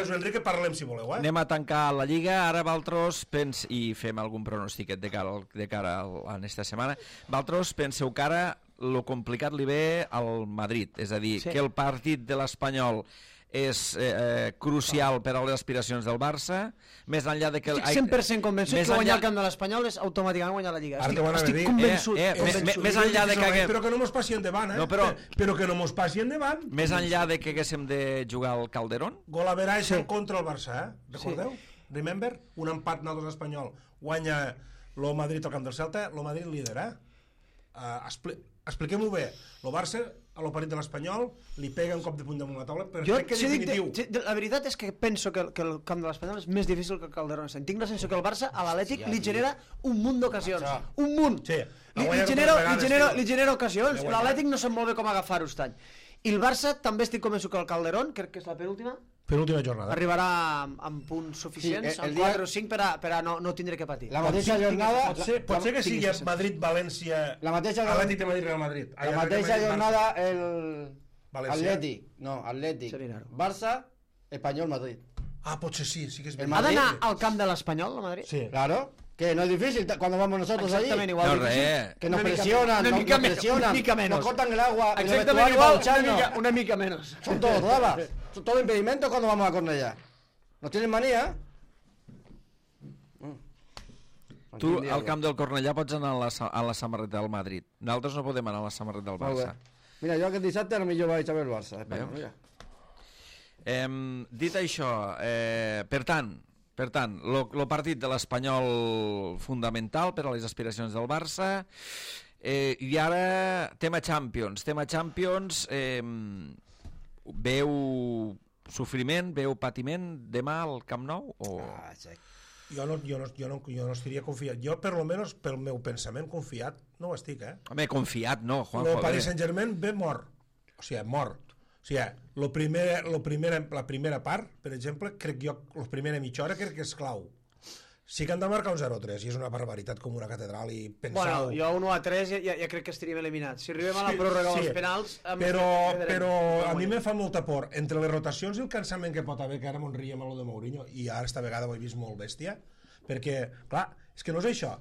Enrique, parlem si voleu, anem a tancar la Lliga. Ara Valtros i fem algun pronòstic de cara a esta setmana. Valtros, penseu que ara lo complicat li ve al Madrid, és a dir, que el partit de l'Espanyol és crucial per a les aspiracions del Barça, més enllà de que... Estic 100% convençut que guanyar el camp de l'Espanyol és automàticament guanyar la Lliga. Estic convençut. Més enllà de que... Però que no mos passi endavant, Però que no mos passi endavant. Més enllà de que haguéssim de jugar al Calderón. Gol a veràs contra el Barça, recordeu? Remember? Un empat nosaltres espanyol. Guanya el Madrid al camp del Celta, el Madrid líder, Expliquem-ho bé. El Barça, a l'operit de l'Espanyol, li pega un cop de puny damunt la taula, però crec que és definitiu. La veritat és que penso que el camp de l'Espanyol és més difícil que el Calderón. Tinc la sensació que el Barça a l'Atlètic li genera un munt d'ocasions. Un munt! Li genera ocasions. L'Atlètic no sap molt bé com agafar-ho aquest any. I el Barça també estic convençut que el Calderón, crec que és la penúltima jornada, arribarà amb punts suficients, amb 4 o 5 per a no tindre que patir. La mateixa jornada... Pot ser que sigui Madrid-València, Atlètic de Madrid-Real Madrid. La mateixa jornada Atlètic, Barça, Espanyol-Madrid. Potser sí que és... ¿Ha d'anar al camp de l'Espanyol, a Madrid? Sí. Claro. Que no es difícil cuando vamos nosotros allí. Exactamente igual. Que nos presionan, una mica menos. Nos cortan el agua. Exactamente igual, una mica menos. Son todos, ¿verdad? todos impedimentos cuando vamos a Cornellà. ¿Nos tienen manía? Tu, al camp del Cornellà, pots anar a la samarreta del Madrid. Nosaltres no podem anar a la samarreta del Barça. Mira, jo aquest dissabte potser vaig a veure el Barça. Mira. Dit això, per tant, el partit de l'Espanyol fonamental per a les aspiracions del Barça, i ara tema Champions. Veu sofriment, veu patiment demà al Camp Nou? Jo no estaria confiat. Jo, per lo menos, pel meu pensament confiat, no ho estic, Home, confiat no, Juanjo. El Paris Saint-Germain ve mort. O sigui, mort. O sigui, la primera part, per exemple, crec jo, la primera mitja hora crec que és clau. Sí que han de marcar un 0-3 i és una barbaritat com una catedral i pensau... Bueno, jo un 1-3 ja crec que estaríem eliminats. Si arribem a la pròrroga o als penals... Però a mi me fa molta por. Entre les rotacions i el cansament que pot haver, que ara m'on ríem a lo de Mourinho, i ara esta vegada ho he vist molt bèstia, perquè, clar, és que no és això.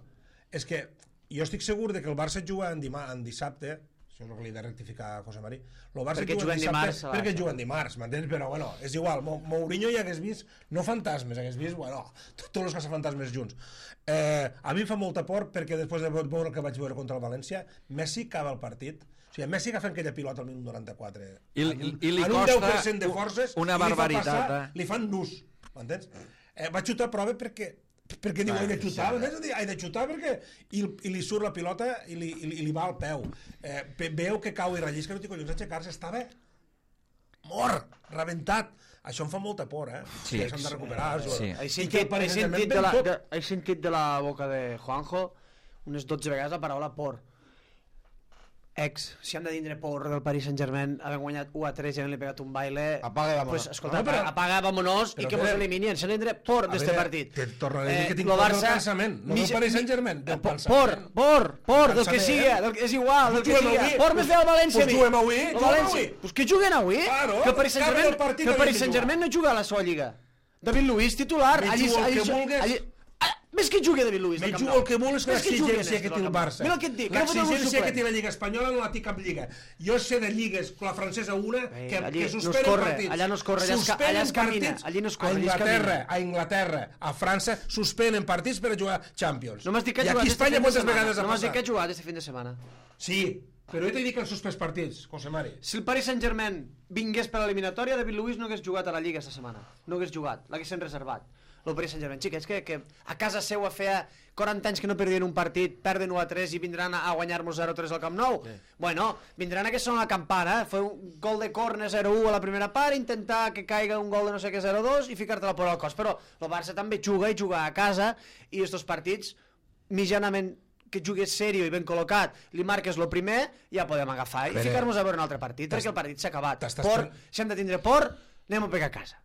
És que jo estic segur de que el Barça juga en dissabte, això és el que li he de rectificar a José Mari, el Barça juga en dissabte perquè juguen dimarts, m'entens? Però bueno, és igual, Mourinho ja hagués vist, no fantasmes, hagués vist, bueno, tots els caçafantasmes junts. A mi em fa molta por perquè després de veure el que vaig veure contra el València, Messi acaba el partit, o sigui, Messi agafa aquella pilota al minut 94 i li en un costa 10% de forces una barbaritat, li fan nus, m'entens? Va xutar a prova perquè diu, he de xutar, he de xutar perquè i li surt la pilota i li va al peu. Veu que cau i rellisca, no té collons aixecar-se, estava mort, rebentat. Això em fa molta por, Sí, s'han de recuperar. Sí. He sentit de la boca de Juanjo unes 12 vegades la paraula por. Si han de tindre por del Paris Saint-Germain, havent guanyat 1-3 i havent-li pegat un baile... Apaga, vámonos. Pues, escolta, apaga, vámonos i que mos eliminen. Se tindre por d'este partit. Te tornaré a dir que tinc por del pensament, no del Paris Saint-Germain, del pensament. Por, del que siga, és igual, del que siga. Por més del València a mi. Pues juguem avui. Pues que juguen avui? Que el Paris Saint-Germain no juga a la seva lliga. David Luiz, titular. Me jugo el que vulgues. Més que jugui David Luiz. Me jugo el que vulguis, l'exigència que té el Barça. Mira el que et dic. L'exigència que té la Lliga Espanyola no la té cap lliga. Jo sé de lligues, la francesa una, que suspenen partits. Allà no es corre, allà es camina. Allí no es corre, a Inglaterra, a França, suspenen partits per a jugar Champions. No m'has dit que ha jugat este fin de setmana. No m'has dit que ha jugat este fin de setmana. Sí, però jo t'he dit que han suspès partits, José Mari. Si el Paris Saint-Germain vingués per l'eliminatòria, David Luiz no hagués jugat a la Lliga esta setmana. No hagués jugat, l'haguessin reservat. El Paris Saint-Germain, xiques, que a casa seva feia 40 anys que no perdien un partit, perden 1-3 i vindran a guanyar-nos 0-3 al Camp Nou. Bueno, vindran a que són la campana, fer un gol de córner 0-1 a la primera part, intentar que caiga un gol de no sé què 0-2 i ficar-te la por al cos. Però el Barça també juga i juga a casa, i estos partits, mitjanament que jugués serio i ben col·locat, li marques el primer, ja podem agafar i ficar-nos a veure un altre partit, perquè el partit s'ha acabat. Si hem de tindre por, anem a pegar a casa.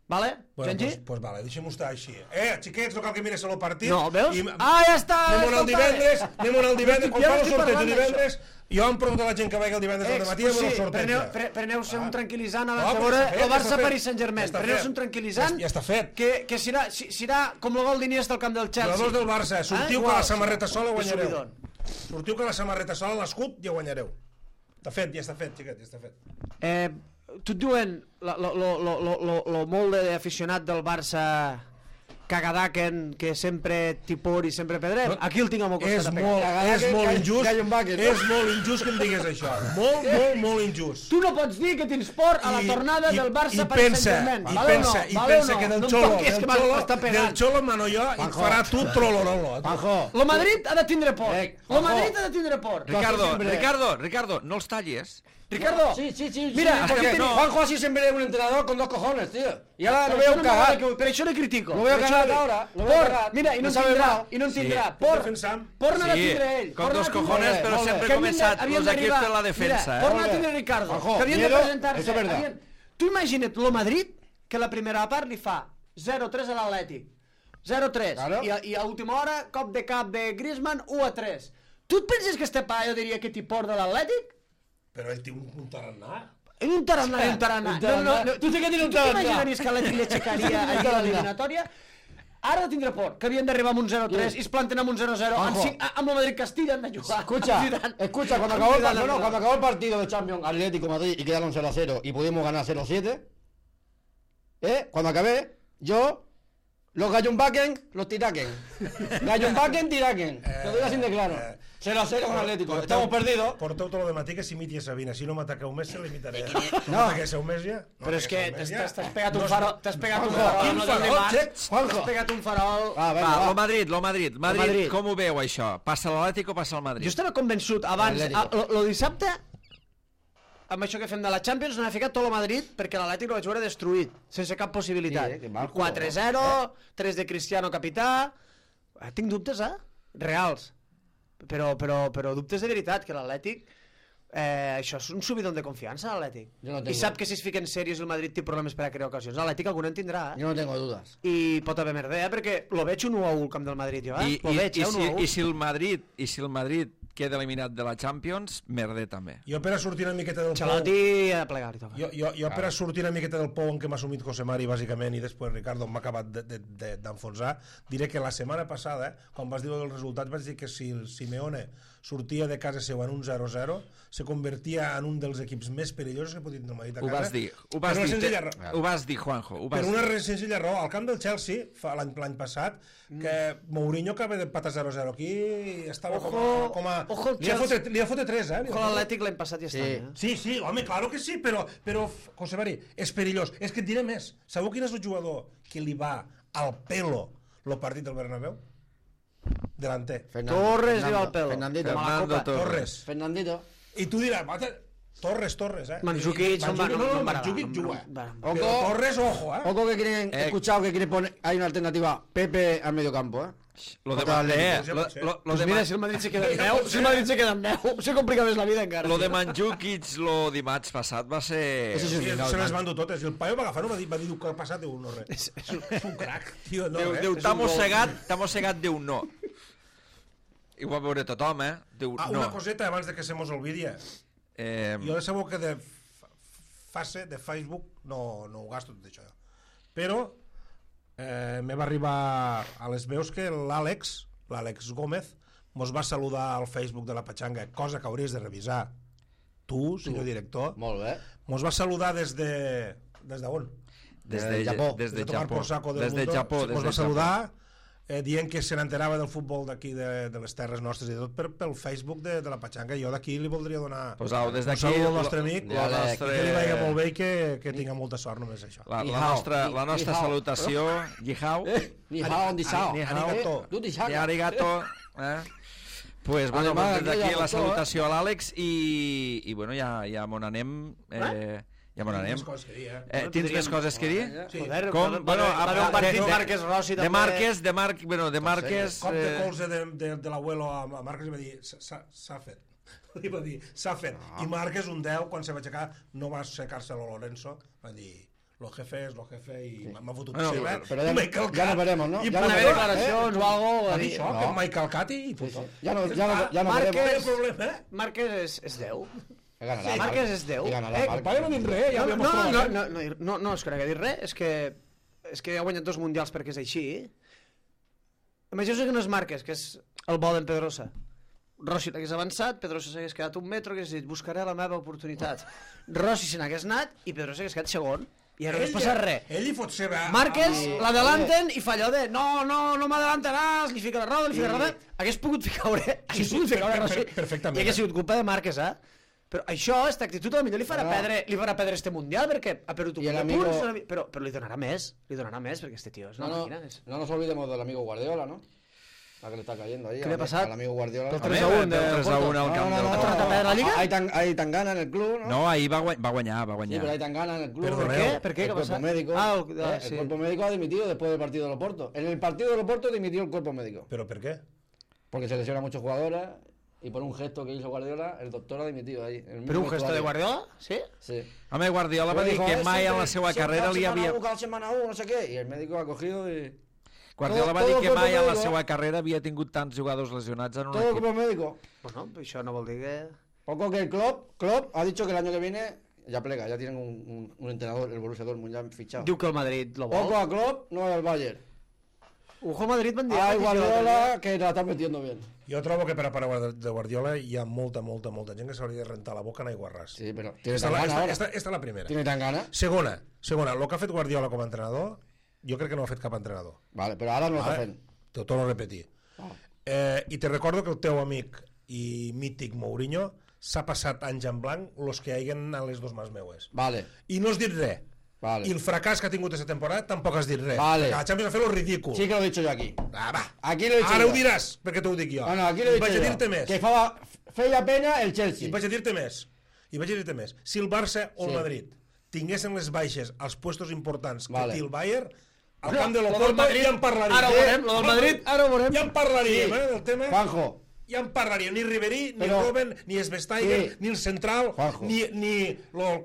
Vale? Bueno, pues vale, deixem-ho estar així. Xiquets, no cal que mires el partit. No, veus? Ja està! Anem al divendres, quan fa el sorteig el divendres, jo em pregunto a la gent que vagi el divendres al dematí amb el sorteig. Preneu-se un tranquil·litzant abans de veure el Barça-Paris Saint-Germain. Preneu-se un tranquil·litzant. Ja està fet. Que serà com el gol d'Iniesta al camp del Chelsea. Jugadors del Barça, sortiu que la samarreta sola guanyareu. Sortiu que la samarreta sola, l'escut, ja guanyareu. Està fet, ja està fet, xiquet, ja està fet. Tu et diuen lo molt d'aficionat del Barça cagadaken, que sempre tipor i sempre pedrem. Aquí el tinc al meu costat. És molt injust que em digues això. Molt injust. Tu no pots dir que tens por a la tornada del Barça per Saint-Germain. I pensa que del Xolo mano jo i et farà tu trolololo. Lo Madrid ha de tindre por. Ricardo, no els tallis. Ricardo, sí. Mira, Juanjo así siempre es un entrenador con dos cojones, tío. Y ahora lo veo cagar. Pero yo le critico. Lo veo cagar ahora. Mira, y no tindrà. Por no la tindre ell. Con dos cojones, però sempre he començat los equips de la defensa. Por no la tindre Ricardo. Que havien de presentar-se. Tu imagina't lo Madrid, que la primera part li fa 0-3 a l'Atlètic. 0-3. I a última hora, cop de cap de Griezmann, 1-3. Tu et penses que este paio diria que t'hi por de l'Atlètic? Però ell té un tarannà. Un tarannà. Tu sí que tens un tarannà. Tu t'imaginaries que l'Atlètic l'aixecaria allà a l'eliminatòria? Ara de tindre por, que havien d'arribar amb un 0-3 i es planten amb un 0-0 amb el Madrid-Castilla han de jugar. Escucha, cuando acabó el partido de Champions Atlético Madrid y quedaron 0-0 y pudimos ganar 0-7, Cuando acabé, yo... Los gallumbaquen, los tiraquen. Gallumbaquen, tiraquen. Te doy así de claro. 0-0 con Atlético. Estamos perdidos. Porteu tot lo de matí que s'imiti a Sabina. Si no m'ataqueu més, se l'imitaré. No. m'ataqueu més ja. No Però és que m'ataqueu més ja. t'has pegat un farol. T'has pegat un Juanjo, farol. quin no farol, dimarts. che? Juanjo. T'has pegat un farol. Va, Va, vinga, lo Madrid. Madrid. Com ho veu, això? Passa l'Atlètic o passa el Madrid? Jo estava convençut abans, Atlético. lo dissabte, amb això que fem de la Champions, n'ha ficat tot el Madrid perquè l'Atlètic lo vaig veure destruït, sense cap possibilitat. Sí, que mal 4-0, 3 de Cristiano capità... Tinc dubtes, reals. Però dubtes de veritat, que l'Atlètic... això és un subidon de confiança, l'Atlètic. Jo no I tengo. sap que si es fiquen sèries el Madrid té problemes per a crear ocasions. L'Atlètic algun en tindrà, Yo no tengo dudas. I pot haver merda, perquè lo veig un 1-1 al camp del Madrid, jo, Lo veig, un 1-1. I si el Madrid queda eliminat de la Champions, merder també. Jo per a sortir una miqueta del pou... Xalotti a plegar i toca. Jo per a sortir una miqueta del pou en què m'ha assumit José Mari, bàsicament, i després Ricardo m'ha acabat d'enfonsar, diré que la setmana passada, quan vas dir el resultat, vaig dir que si el Simeone sortia de casa seu en un 0-0, se convertia en un dels equips més perillosos que pot tenir el Madrid a casa. Ho vas dir, Juanjo. Per una senzilla raó, al camp del Chelsea, l'any passat, que Mourinho acaba de patar 0-0 aquí, estava com a... Li ha fotre 3, Ojo l'Atlètic l'any passat ja està, Sí, home, claro que sí, però José Mari, és perillós. És que et diré més. Sabeu quin és el jugador que li va al pelo el partit del Bernabéu? Delanter. Torres li va al pelo. Fernandito. Torres. Fernandito. I tu diràs, Torres, Mandzukic, Mandzukic juga. Pero Torres, ojo, Ojo que quieren, he escuchado que quieren poner, hay una alternativa, Pepe al medio campo, Lo de Pues mira, si el Madrid se queda en 10, se complica més la vida encara. Lo de Mandzukic, lo dimarts passat va ser... Sí, se les van dur totes. I el paio va agafar-ho, va dir que ha passat, diu, no res. És un crac, tio, no res. Diu, t'ha mossegat, diu, no. I ho va veure tothom, diu, no. Una coseta abans de que se mos olvidi. Jo sabeu que de fase de Facebook no ho gasto tot això, però me va arribar a les veus que l'Àlex Gómez mos va saludar al Facebook de la Pachanga, cosa que hauries de revisar tu, senyor director. Molt bé. Mos va saludar des d'on? Des de Japó. Des de Japó. Mos va saludar dient que se n'enterava del futbol d'aquí, de les terres nostres i tot pel Facebook de la Pachanga. Jo d'aquí li voldria donar un saludo al nostre amic, que li vagi molt bé i que tinga molta sort, només això. La nostra salutació, Yihao. Arigato. Pues bueno, des d'aquí la salutació a l'Àlex i bueno, ja m'on anem. Ja m'on anem. Tens més coses que dir? Joder, com? Bueno, un partit de Márquez Rossi també. De Márquez... Cop de colze de l'abuelo a Márquez va dir s'ha fet. Li va dir s'ha fet. I Márquez un 10 quan se va aixecar no va aixecar-se lo Lorenzo, va dir lo jefe és lo jefe i m'ha fotut seva. Però ja no veremos, no? Ja no haver declaracions o algo. Va dir això, que mai calcat i puto. Ja no veremos. Márquez és 10. Márquez és 10. El pare no ha dit res, ja havíem trobat. No és que no hagi dit res, és que ha guanyat 2 mundials perquè és així. Imagina que no és Márquez, que és el bo d'en Pedrosa. Rossi l'hagués avançat, Pedrosa s'hagués quedat un metro, hagués dit, buscaré la meva oportunitat. Rossi se n'hagués anat i Pedrosa s'hagués quedat segon. I ara no es passa res. Ell hi fot seva... Márquez l'adelanten i fa allò de no m'adelantaràs, li fica la roda, hagués pogut ficar Rossi perfectament. I hagués sigut culpa de Márquez, Però això, aquesta actitud, potser li farà perdre este mundial perquè ha perdut un punts, però li donarà més, perquè este tio és una màquina. No nos olvidemos del amigo Guardiola, ¿no? La que le está cayendo ahí. ¿Qué le ha pasado? Al amigo Guardiola. El 3-1 al camp del Porto. ¿Ha la Liga? Hay tan gana en el club, ¿no? No, ahí va guanyar. Sí, pero hay tan gana en el club. ¿Por qué? El cuerpo médico. El cuerpo médico ha dimitido después del partido de Loporto. En el partido de Loporto dimitió el cuerpo médico. ¿Pero por qué? Porque se lesiona a muchos jugadores y por un gesto que hizo Guardiola, el doctor ha dimitido ahí. ¿Pero un gesto de Guardiola? Sí. Sí. Home, Guardiola va dir que mai en la seva carrera li havia... Cada semana no sé qué. Y el médico ha cogido y... Guardiola va dir que mai en la seva carrera havia tingut tants jugadors lesionats en un equip. Todo el cuerpo médico. Bueno, això no vol dir que... Poco que el Klopp ha dicho que el año que viene ya plega, ya tienen un entrenador, el Borussia Dortmund ya fichado. Diu que el Madrid lo vol. Poco a Klopp, no al Bayern. Ojo Madrid van dir... Ay, Guardiola, que la está metiendo bien. Jo trobo que per a part de Guardiola hi ha molta gent que s'hauria de rentar la boca en aiguarràs. Sí, pero tiene Esta, tan ganas ahora. esta és la primera. Tiene tan ganas. Segona, el que ha fet Guardiola com a entrenador, jo crec que no ho ha fet cap entrenador. Vale, pero ahora no lo está Vale? haciendo. T'ho torno a repetir. I te recordo que el teu amic i mític Mourinho s'ha passat anys en blanc los que haiguen a les dos mans meues. Vale, I no has dit res. vale. I el fracàs que ha tingut aquesta temporada tampoc has dit res. Vale. Perquè la Champions ha fet lo ridícul. Sí que lo he dicho yo aquí. Va. Aquí lo he dicho Ara yo. ho diràs, perquè t'ho dic jo. No, no, aquí lo he I dicho vaig a yo. dir-te més. Que feia pena el I Chelsea. vaig a dir-te més. Si el Barça o el Sí. Madrid tinguessin les baixes als puestos importants que Vale. té el Bayern, al Bueno, camp de lo del l'Oporto Madrid, ja en parlaríem. ara ho veurem, lo del Madrid, ara ho veurem. Ja en parlaríem, Sí. del tema. Juanjo, Ja en parlaríem. Ni Ribery, ni Però- Robben, ni Svesteiger, Sí. ni el central, Juanjo. ni lo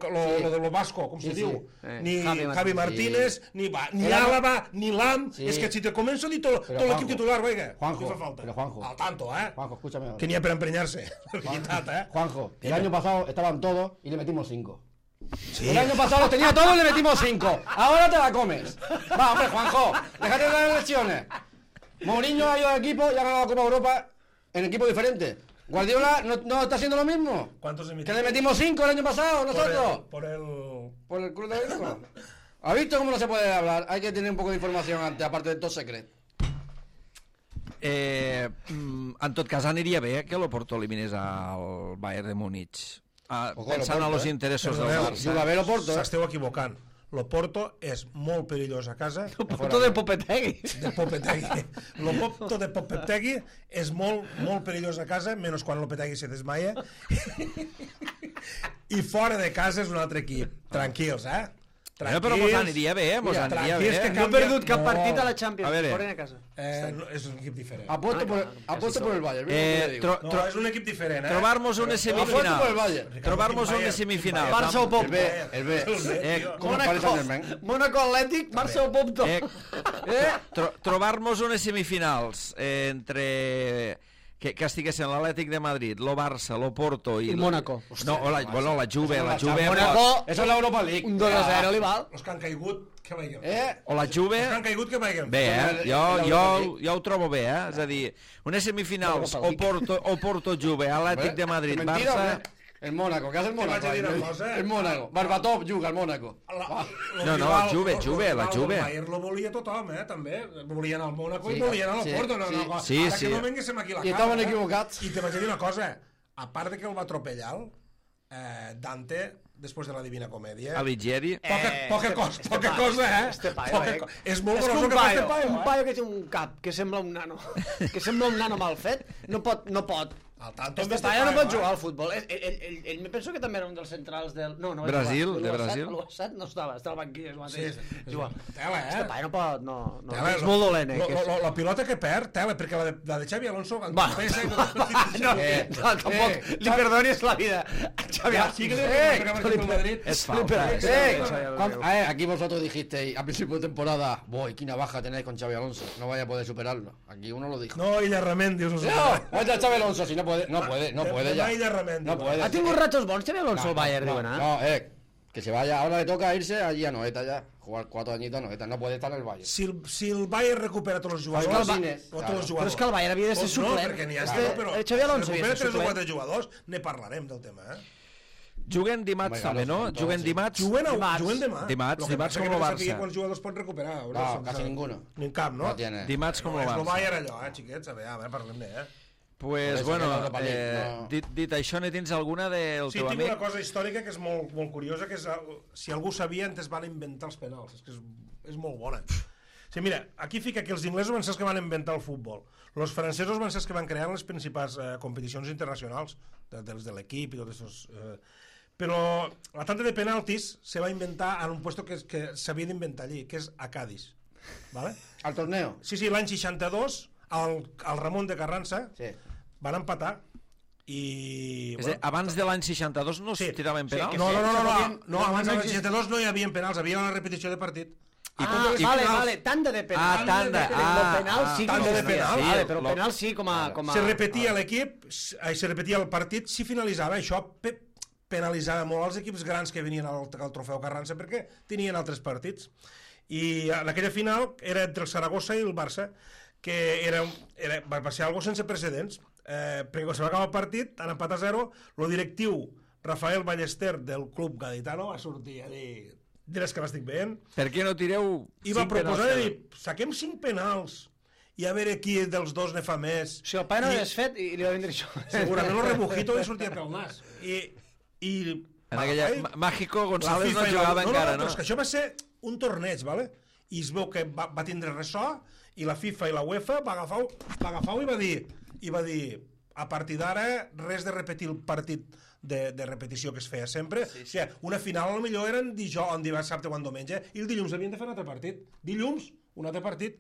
de lo Vasco, com se Sí, diu, sí. ni Javi Javi Martínez, ni Álava, ni Lam. Sí. És que si te començo a dir tot Però, l'equip Juanjo, titular, oiga, Juanjo, què fa falta? però, Juanjo. Al tanto, Juanjo, escúchame ahora. Que n'hi ha per emprenyar-se. La veritat, Juanjo, el año pasado estaban todos y le metimos 5. Sí. El año pasado lo tenía todo y le metimos 5. Ahora te la comes. Va, hombre, Juanjo, déjate de dar lesiones. Mourinho ha ido al equipo y ha ganado la Copa Europa en equipo diferente. Guardiola no está haciendo lo mismo. ¿Cuántos Que emitimos? le metimos 5 el año pasado nosotros. Por el... Por el club de Benfica. ¿Ha visto cómo no se puede hablar? Hay que tener un poco de información antes, aparte de todo secreto. En tot cas, aniria bé que l'Oporto eliminés al Bayern de Múnich. Ojo, Pensant en l'Oporto, els interessos del Perdoneu, Barça. Juga bé l'Oporto, S'esteu equivocant. L'Oporto és molt perillós a casa. Porto de Popetegui. De Popetegui. L'Oporto de Popetegui és molt perillós a casa, menys quan Lopetegui se desmaia. I fora de casa és un altre equip. Tranquils, Però mos aniria bé, mos aniria bé. tranquils que No he perdut cap No. partit a la Champions. A veure. Foren a casa. No, és un equip diferent. Apuesto por el Bayern. mira lo que le digo. No, és un equip diferent, Trobar-nos unes Apuesto por el semifinals. Bayern. Trobar-nos unes semifinals. Barça o El Popto. B, el B. Com el Paris Saint-Germain. Mónaco Atlètic, Barça o Popto. Trobar-nos unes semifinals entre... que estiguessin l'Atlètic de Madrid, lo Barça, lo Porto i... I Mónaco. No, la Juve, la Juve... Mónaco, Eso es la Europa League. un 2-0 li val. Els que han caigut, que vagin. O la Juve... Els que han caigut, que vagin. Bé, L'Europa jo ho trobo bé, És a dir, unes semifinals o Porto Juve, Atlètic de Madrid, Que mentira, Barça... hombre. El Mónaco, ¿qué hace el Te Mónaco? vaig a dir una cosa. El Mónaco. Barbatov juga al Mónaco. No, la Juve, la Juve. El Bayern lo volia tothom, també. Volien al Mónaco Sí, i volien al sí, Porto. No, sí. no, Sí, ara sí. que no venguéssim aquí a la I cara. estaven equivocats. I te vaig a dir una cosa. A part de que el va atropellar, Dante, després de la Divina Comèdia... Alighieri... Poca cosa, Este paio, És molt És que gros un que fa paio, este paio, un paio que té un cap que sembla un nano, que sembla un nano mal fet, no pot. Al tanto Este paio no pot jugar al futbol. Ell me penso que també era un dels centrals del... No, no va Brasil, jugar. de Brasil. L'U7 no estava, al banquillo és el mateix. Sí, Juga. Tela, Este paio no pot, no. Tela, És molt dolent, La pilota que perd, tela, perquè la de Xavi Alonso... Va, no, tampoc li perdonis la vida. Xavi, sí que li Madrid. És falta. Aquí vosotros dijisteis a principio de temporada, voy, qué baja tenéis con Xavi Alonso, no vaya a poder superarlo. Aquí uno lo dijo. No, Illa Ramendi, us ho No, vaya Xavi Alonso, si no puede ya. Illa Ramendi. No puede. Ha tingut ratos bons Xavi Alonso al Bayern, no, diuen, eh? no, que se vaya, ahora le toca irse allí a Noeta ya, jugar 4 añitos a Noeta, no puede estar en el Bayern. Si el Bayern recupera tots els jugadors... Martínez, tots els claro. jugadors. Però és que el Bayern havia de ser No, suplent. perquè n'hi ha però Xavi Alonso si havia de recupera ser 3 o 4 suplent. jugadors, ne parlarem del tema, Juguen dimarts també, no? Juguen dimarts? Juguen demà. Dimarts Lo que passa com que el no sabia Barça. quants jugadors pot recuperar. No, casi ninguno. Ni cap, no? No tiene. Dimarts com No, el és el Barça. Bayern allò, xiquets, a veure, parlem-ne, Pues, Por eso bueno, que no Europa League, no. dit això, ne tens alguna del Sí, teu tinc amic? una cosa històrica que és molt curiosa, que és, si algú sabia, antes van inventar els penals. És que és molt bona. Sí, mira, aquí fica que els inglesos van ser els que van inventar el futbol. Els francesos van ser els que van crear les principals competicions internacionals, dels de l'equip i tot això. Però la tanda de penaltis se va inventar en un puesto que s'havia d'inventar allí, que és a Cádiz. ¿Vale? Al torneo. Sí, l'any 62, al Ramon de Carranza, Sí. van empatar i... És a dir, abans de l'any 62 no es tiraven penals? No, abans del 62 no hi havia penals, havia una repetició de partit. Vale, tanda de penal. tanda. Penal sí que Tanda de no feia. penal. Vale, però penal sí com a... Se repetia l'equip, se repetia el partit si finalitzava. Això penalitzava molt els equips grans que venien al trofeu Carranza perquè tenien altres partits. I en aquella final era entre el Saragossa i el Barça, que va ser algo sense precedents, perquè quan se va acabar el partit, en empat a 0, el directiu Rafael Ballester del club gaditano va sortir a dir, diràs que l'estic veient, Per què no tireu i va 5 proposar de penals? dir, saquem 5 penals i a veure qui dels dos ne fa més. O sigui, el pai no l'hagués fet i li va vindre això. Segurament el rebujito li sortia pel nas. I En aquella... Mágico la González no FIFA jugava encara, però no? és que això va ser un torneig, ¿vale? I es veu que va tindre ressò i la FIFA i la UEFA va agafar i va dir a partir d'ara res de repetir el partit de repetició que es feia sempre. O sigui, una final potser eren dissabte o diumenge i el dilluns havien de fer un altre partit. Dilluns, un altre partit.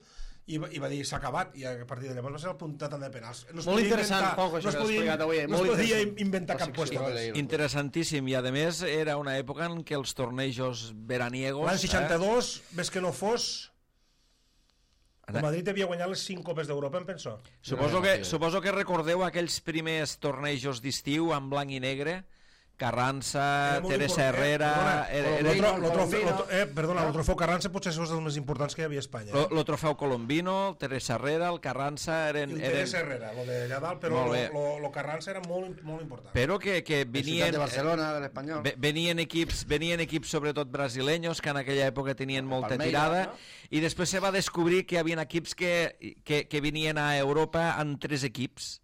I va dir, s'ha acabat, i a partir de llavors va ser el puntat també de penals. Molt interessant, Juanjo, això que has explicat avui. No es podia inventar cap qüestió. Interessantíssim, i a més era una època en què els tornejos veraniegos... L'any 62, ves que no fos, el Madrid havia guanyat les 5 copes d'Europa, em penso. Suposo que recordeu aquells primers tornejos d'estiu en blanc i negre, Carranza, Teresa Herrera... Perdona, el trofeu Carranza potser és dels més importants que hi havia a Espanya. El trofeu Colombino, Teresa Herrera, el Carranza... El Teresa Herrera, el d'allà dalt, però el Carranza era molt important. Però que venien... de Barcelona, de l'Espanyol. Venien equips sobretot brasileños que en aquella època tenien molta tirada, i després se va descobrir que hi havia equips que venien a Europa en 3 equips.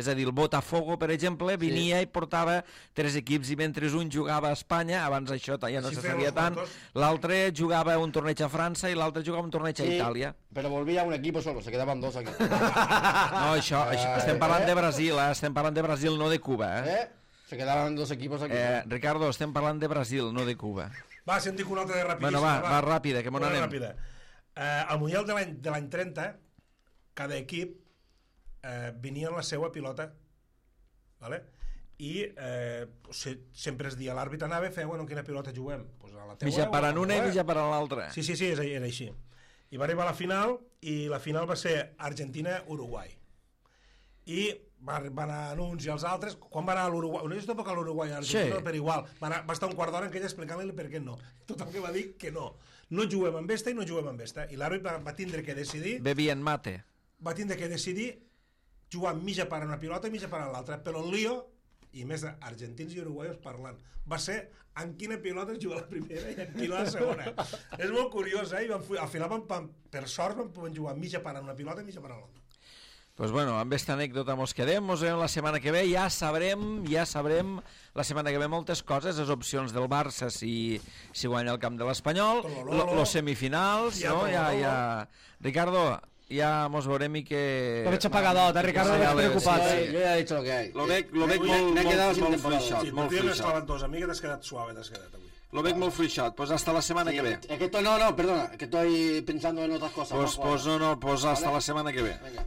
És a dir, el Botafogo, per exemple, venia i portava 3 equips, i mentre un jugava a Espanya, abans això ja no se sabia tant, l'altre jugava un torneig a França i l'altre jugava un torneig a Itàlia. Però volvia un equip solo, se quedaven 2 aquí. No, això estem parlant de Brasil, estem parlant de Brasil, no de Cuba. Se quedaven 2 equipos aquí. Ricardo, estem parlant de Brasil, no de Cuba. Va, si en dic una altra de rapidíssima. Bueno, va ràpida, que m'on anem. Al Mundial de l'any 30, cada equip venia en la seva pilota, ¿vale? I sempre es dia, l'àrbitre anava i feia, bueno, en quina pilota juguem? Pues a la teua, mitja per a una i mitja per a l'altra. Sí, era així. I va arribar a la final, i la final va ser Argentina-Uruguai. I van anar uns i els altres. Quan va anar a l'Uruguai, no és tampoc a l'Uruguai, a Argentina, però igual, va estar un quart d'hora en què ella explicant-li per què no. Tothom que va dir que no juguem amb esta i no juguem amb esta. I l'àrbitre va tindre que decidir... Bevien mate. Va tindre que decidir jugar mitja part a una pilota i mitja part a l'altra, però el lío, i més argentins i uruguaios parlant, va ser en quina pilota es juga la primera i en quina la segona. És molt curiós, I al final, per sort, van jugar mitja part a una pilota i mitja part a l'altra. Pues bueno, amb aquesta anècdota mos quedem, mos veiem la setmana que ve, ja sabrem la setmana que ve moltes coses, les opcions del Barça si guanya el camp de l'Espanyol, los semifinals, no? Ricardo, ja mos veurem i que... Lo veig apagadot, Ricardo, no preocupat. Yo ya he dicho lo que hay. Lo veig molt fluixot, molt fluixot. Dos, a mi que t'has quedat suave, avui. Lo veig molt fluixot, pues hasta la semana que ve. Es que estoy, no, perdona, que estoy pensando en otras cosas. Pues hasta la semana que ve. Venga.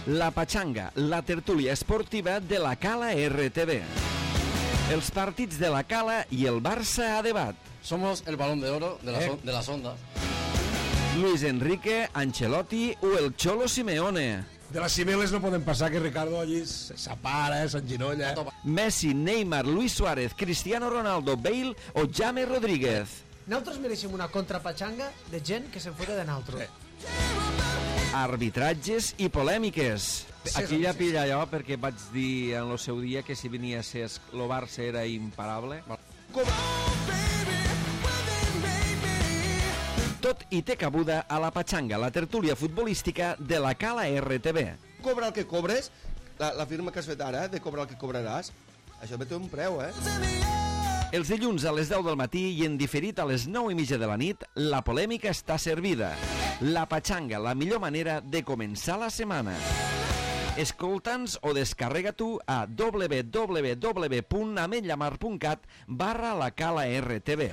La Pachanga, la tertúlia esportiva de la Cala RTV. Els partits de la Cala i el Barça a debat. Somos el balón de oro de las ondas. Luis Enrique, Ancelotti o el Cholo Simeone. De les cibeles no podem passar, que Ricardo allí s'apara, s'enginolla. Messi, Neymar, Luis Suárez, Cristiano Ronaldo, Bale o James Rodríguez. Nosaltres mereixem una contrapatxanga de gent que se'n fota de naltro. Arbitratges i polèmiques. Aquí ja pilla allò perquè vaig dir en el seu dia que si venia a ser el Barça era imparable. Tot i té cabuda a la Pachanga, la tertúlia futbolística de la Cala RTV. Cobra el que cobres, la firma que has fet ara, de cobrar el que cobraràs, això té un preu, Els dilluns a les 10 del matí i en diferit a les 9:30 de la nit, la polèmica està servida. La Pachanga, la millor manera de començar la setmana. Escolta'ns o descarrega tu a www.ametllamar.cat/la Cala RTV.